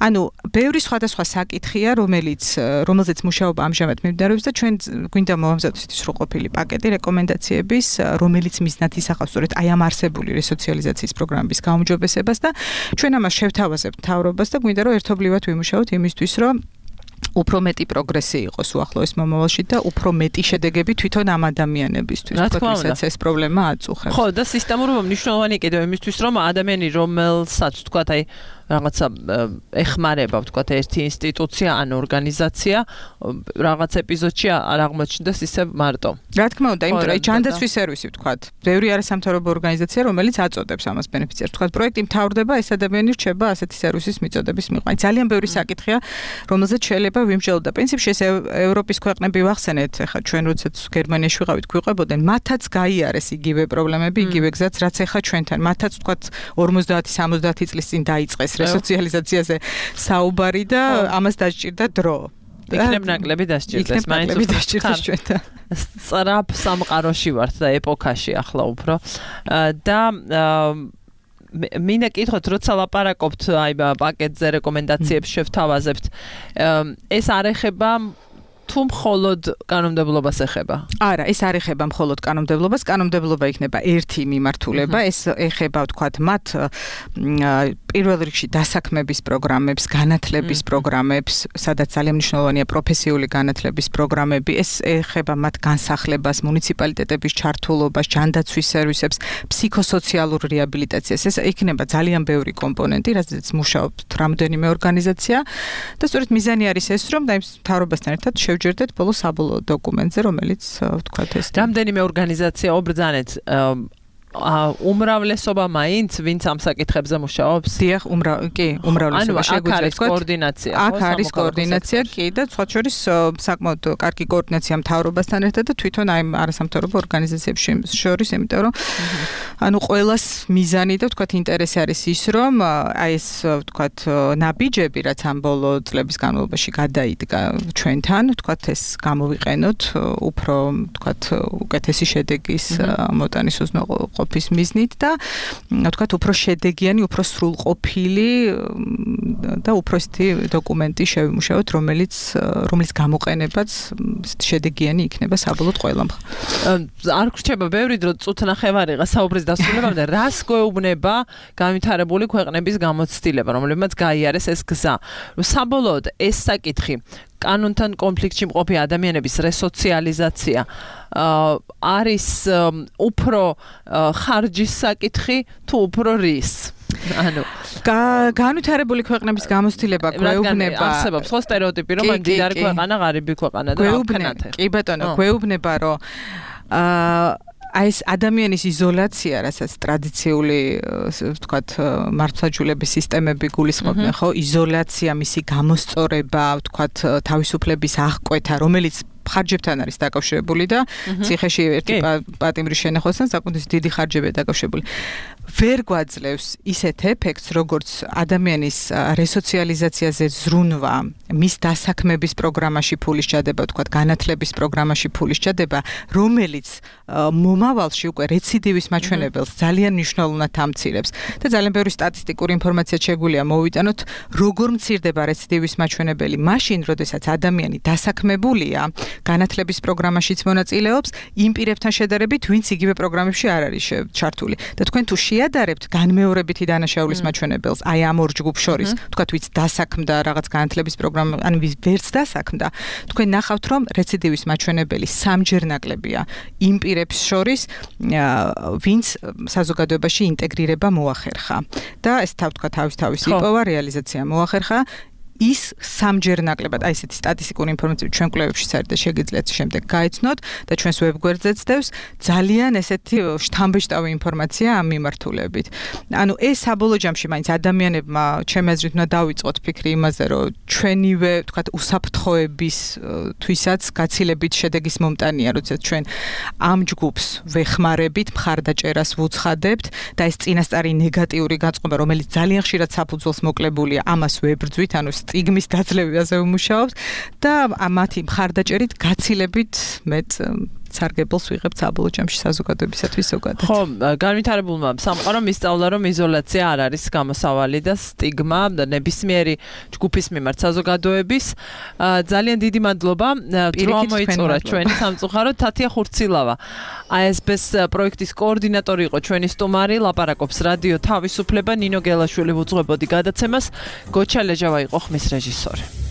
F: ანუ ბევრი სხვადასხვა საკითხია, რომელზეც მუშაობა ამჟამად მიმდინარეობს და ჩვენ გვინდა მოვამზადოთ ის სრულყოფილი პაკეტი რეკომენდაციების, რომელიც მიზნად ისახავს სწორედ აი ამ არსებული რესოციალიზაციის პროგრამების გაუმჯობესებას და ჩვენ ამას შევთავაზებთ მთავრობას და გვინდა რომ ერთობლივად ვიმუშაოთ იმისთვის, რომ უფრო მეტი პროგრესი იყოს უახლოეს მომავალში და უფრო მეტი შედეგები თვითონ ამ ადამიანებისთვის, თვითონაც ეს პრობლემა აწუხებს.
B: ხო, და სისტემურად მნიშვნელოვანი კიდევ იმისთვის, რომ ადამიანი, რომელსაც თქვათ აი რაღაცა ეხმარება, ვთქვათ, ერთი ინსტიტუცია ან ორგანიზაცია, რაღაც ეპიზოდში არ აღმოჩნდეს ისე მარტო.
F: რა თქმა უნდა, იმიტომ რომ ჯანდაცვის სერვისი, ვთქვათ, ბევრი არასამთავრობო ორგანიზაცია, რომელიც აწოდებს ამას ბენეფიციარს. ვთქვათ, პროექტი მთავრდება, ეს ადამიანი რჩება ასეთი სერვისის მიწოდების მიღმა. ძალიან ბევრი საკითხია, რომელზეც შეიძლება ვიმსჯელოთ და პრინციპში ეს ევროპის ქვეყნები ვახსენეთ, ახლა ჩვენ როდესაც გერმანიაში ვიყავით, გვიყვებოდნენ, მათაც გაიარეს იგივე პრობლემები, იგივე გზაც, რაც ახლა ჩვენთან. მათაც ვთქვათ 50-70 წლის წინ დაიწყეს რესოციალიზაციაზე საუბარი და ამას დასჭირდა დრო.
B: იქნებ ნაკლები დასჭირდეს, მაინც
F: ჩვენთან.
B: სწრაფ სამყაროში ვართ და ეპოქაში ახლა უფრო და მინდა კითხოთ, როცა ლაპარაკობთ აი პაკეტზე რეკომენდაციებს შევთავაზებთ, ეს არ ეხება თუ მხოლოდ კანონმდებლობას ეხება?
F: არა, ეს არ ეხება მხოლოდ კანონმდებლობას, კანონმდებლობა იქნება ერთი მიმართულება, ეს ეხება, ვთქვათ, მათ პირველ რიგში დასაქმების პროგრამებს, განათლების პროგრამებს, სადაც ძალიან მნიშვნელოვანია პროფესიული განათლების პროგრამები, ეს ეხება მათ განსახლებას, მუნიციპალიტეტების ჩართულობას, ჯანდაცვის სერვისებს, ფსიქოსოციალურ რეაბილიტაციას. ეს იქნება ძალიან ბევრი კომპონენტი, რაზეც მუშაობთ რამდენიმე ორგანიზაცია და სწორედ მიზანი არის ეს, რომ მთავრობასთან ერთად შევჯერდეთ ბოლოს საბოლოო დოკუმენტზე, რომელიც ვთქვათ ეს
B: რამდენიმე ორგანიზაცია ობრძანეთ უმრავლესობა მაინც ვინც ამ საკითხებზე მუშაობს?
F: დიახ, კი, უმრავლესობა
B: შეგვიძლია ვთქვათ. კოორდინაცია,
F: აქ არის კოორდინაცია, კი და სხვა შორის საკმაოდ კარგი კოორდინაცია მთავრობასთან ერთად და თვითონ აი არასამთავრობო ორგანიზაციებს შორის, იმიტომ რომ ანუ ყველას მიზანი და ვთქვათ ინტერესი არის ის, რომ აი ეს ვთქვათ ნაბიჯები, რაც ამ ბოლო წლების განმავლობაში გადაიდგა ჩვენთან, ვთქვათ ეს გამოვიყენოთ უფრო ვთქვათ უკეთესი შედეგის მოტანის ყოფის მიზნით და ვთქვათ უფრო შედეგიანი, უფრო სრულყოფილი და უფრო ისეთი დოკუმენტი შევიმუშაოთ, რომელიც გამოყენებაც შედეგიანი იქნება საბოლოოდ ყველამ.
B: არ გრჩება ბევრი დრო წუთნახევარიღა საუბრის დასრულებამდე, რას გვეუბნება განვითარებული ქვეყნების გამოცდილება, რომლებმაც გაიარეს ეს გზა. საბოლოოდ ეს საკითხი კანონთან კონფლიქტში მყოფი ადამიანების რესოციალიზაცია არის უფრო ხარჯის საკითხი თუ უფრო რის? ანუ
F: განვითარებული ქვეყნების გამოცდილება გვეუბნება
B: არსებობს ხო სტერეოტიპი, რომ მდიდარი ქვეყანა, ღარიბი ქვეყანა და
F: გვეუბნება, კი ბატონო, გვეუბნება, რომ აი ეს ადამიანის იზოლაცია, რასაც ტრადიციული, ვთქვათ, მართლმსაჯულების სისტემები გულისხმობენ, ხო? იზოლაცია, მისი გამოსწორება, ვთქვათ, თავისუფლების აღკვეთა, რომელიც ხარჯებთან არის დაკავშირებული და ციხეში ერთი პატიმრის შენახვასთან საკუთარი დიდი ხარჯებია დაკავშირებული. ვერ გვაძლევს ისეთ ეფექტს, როგორც ადამიანის რესოციალიზაციაზე ზრუნვა, მის დასაქმების პროგრამაში ფულის ჩადება, თქვათ, განათლების პროგრამაში ფულის ჩადება, რომელიც მომავალში უკვე რეციდივის მაჩვენებელს ძალიან მნიშვნელოვნად ამცირებს. და ძალიან ბევრი სტატისტიკური ინფორმაცია შეგვიძლია მოვიტანოთ, როგორ მცირდება რეციდივის მაჩვენებელი მაშინ, როდესაც ადამიანი დასაქმებულია, განათლების პროგრამაშიც მონაწილეობს, იმ პირებთან შედარებით, ვინც იგივე პროგრამებში არ არის ჩართული. და თქვენ თუ შეადარებთ განმეორებითი დანაშაულის მაჩვენებელს, აი ამ ორ ჯგუფ შორის, თქვათ, ვინც დასაქმდა რაღაც განათლების პროგრამა, ან ვინც ვერც დასაქმდა, თქვენ ნახავთ, რომ რეციდივის მაჩვენებელი სამჯერ ნაკლებია იმ პირებს შორის, ვინც საზოგადოებაში ინტეგრირება მოახერხა. და ეს თავისი იპოვა, რეალიზაცია მოახერხა. ის სამჯერ ნაკლებად, აი ესეთი სტატისტიკური ინფორმაცია ჩვენ კვლევებშიც არის და შეგიძლიათ შემდეგ გაიცნოთ და ჩვენს ვებგვერდზეც დევს ძალიან ესეთი შთამბეჭდავი ინფორმაცია ამ მიმართულებით. ანუ ეს საბოლოო ჯამში მაინც ადამიანებმა ჩემი აზრით უნდა დავიწყოთ ფიქრი იმაზე, რომ ჩვენივე, თქვათ, უსაფრთხოების თვისაც გაცილებით შედეგის მომტანია, როდესაც ჩვენ ამ ჯგუფს ვეხმარებით, მხარდაჭერას ვუცხადებთ და ეს წინასწარი ნეგატიური გაწყობა, რომელიც ძალიან ხშირად საფუძველს მოკლებულია, ამას ვებრძვით, ანუ სტიგმის დაძლევაზე ვმუშაობთ და მათი მხარდაჭერით გაცილებით მეტ სარგებელს ვიღებთ საბოლოო ჯამში საზოგადოებისათვის ზოგადად.
B: ხო, განვითარებულმა სამყარომ ისწავლა, რომ იზოლაცია არ არის გამოსავალი და სტიგმა ნებისმიერი ჯგუფის მიმართ საზოგადოების. ძალიან დიდი მადლობა. დრო მოიწურა ჩვენი სამწუხაროდ თათია ხურცილავა. ASB-ს პროექტის კოორდინატორი იყო ჩვენი სტუმარი, ლაპარაკობს რადიო თავისუფლება, ნინო გელაშვილი უძღვებოდი გადაცემას, გოჩა ლეჟავა იყო ხმის რეჟისორი.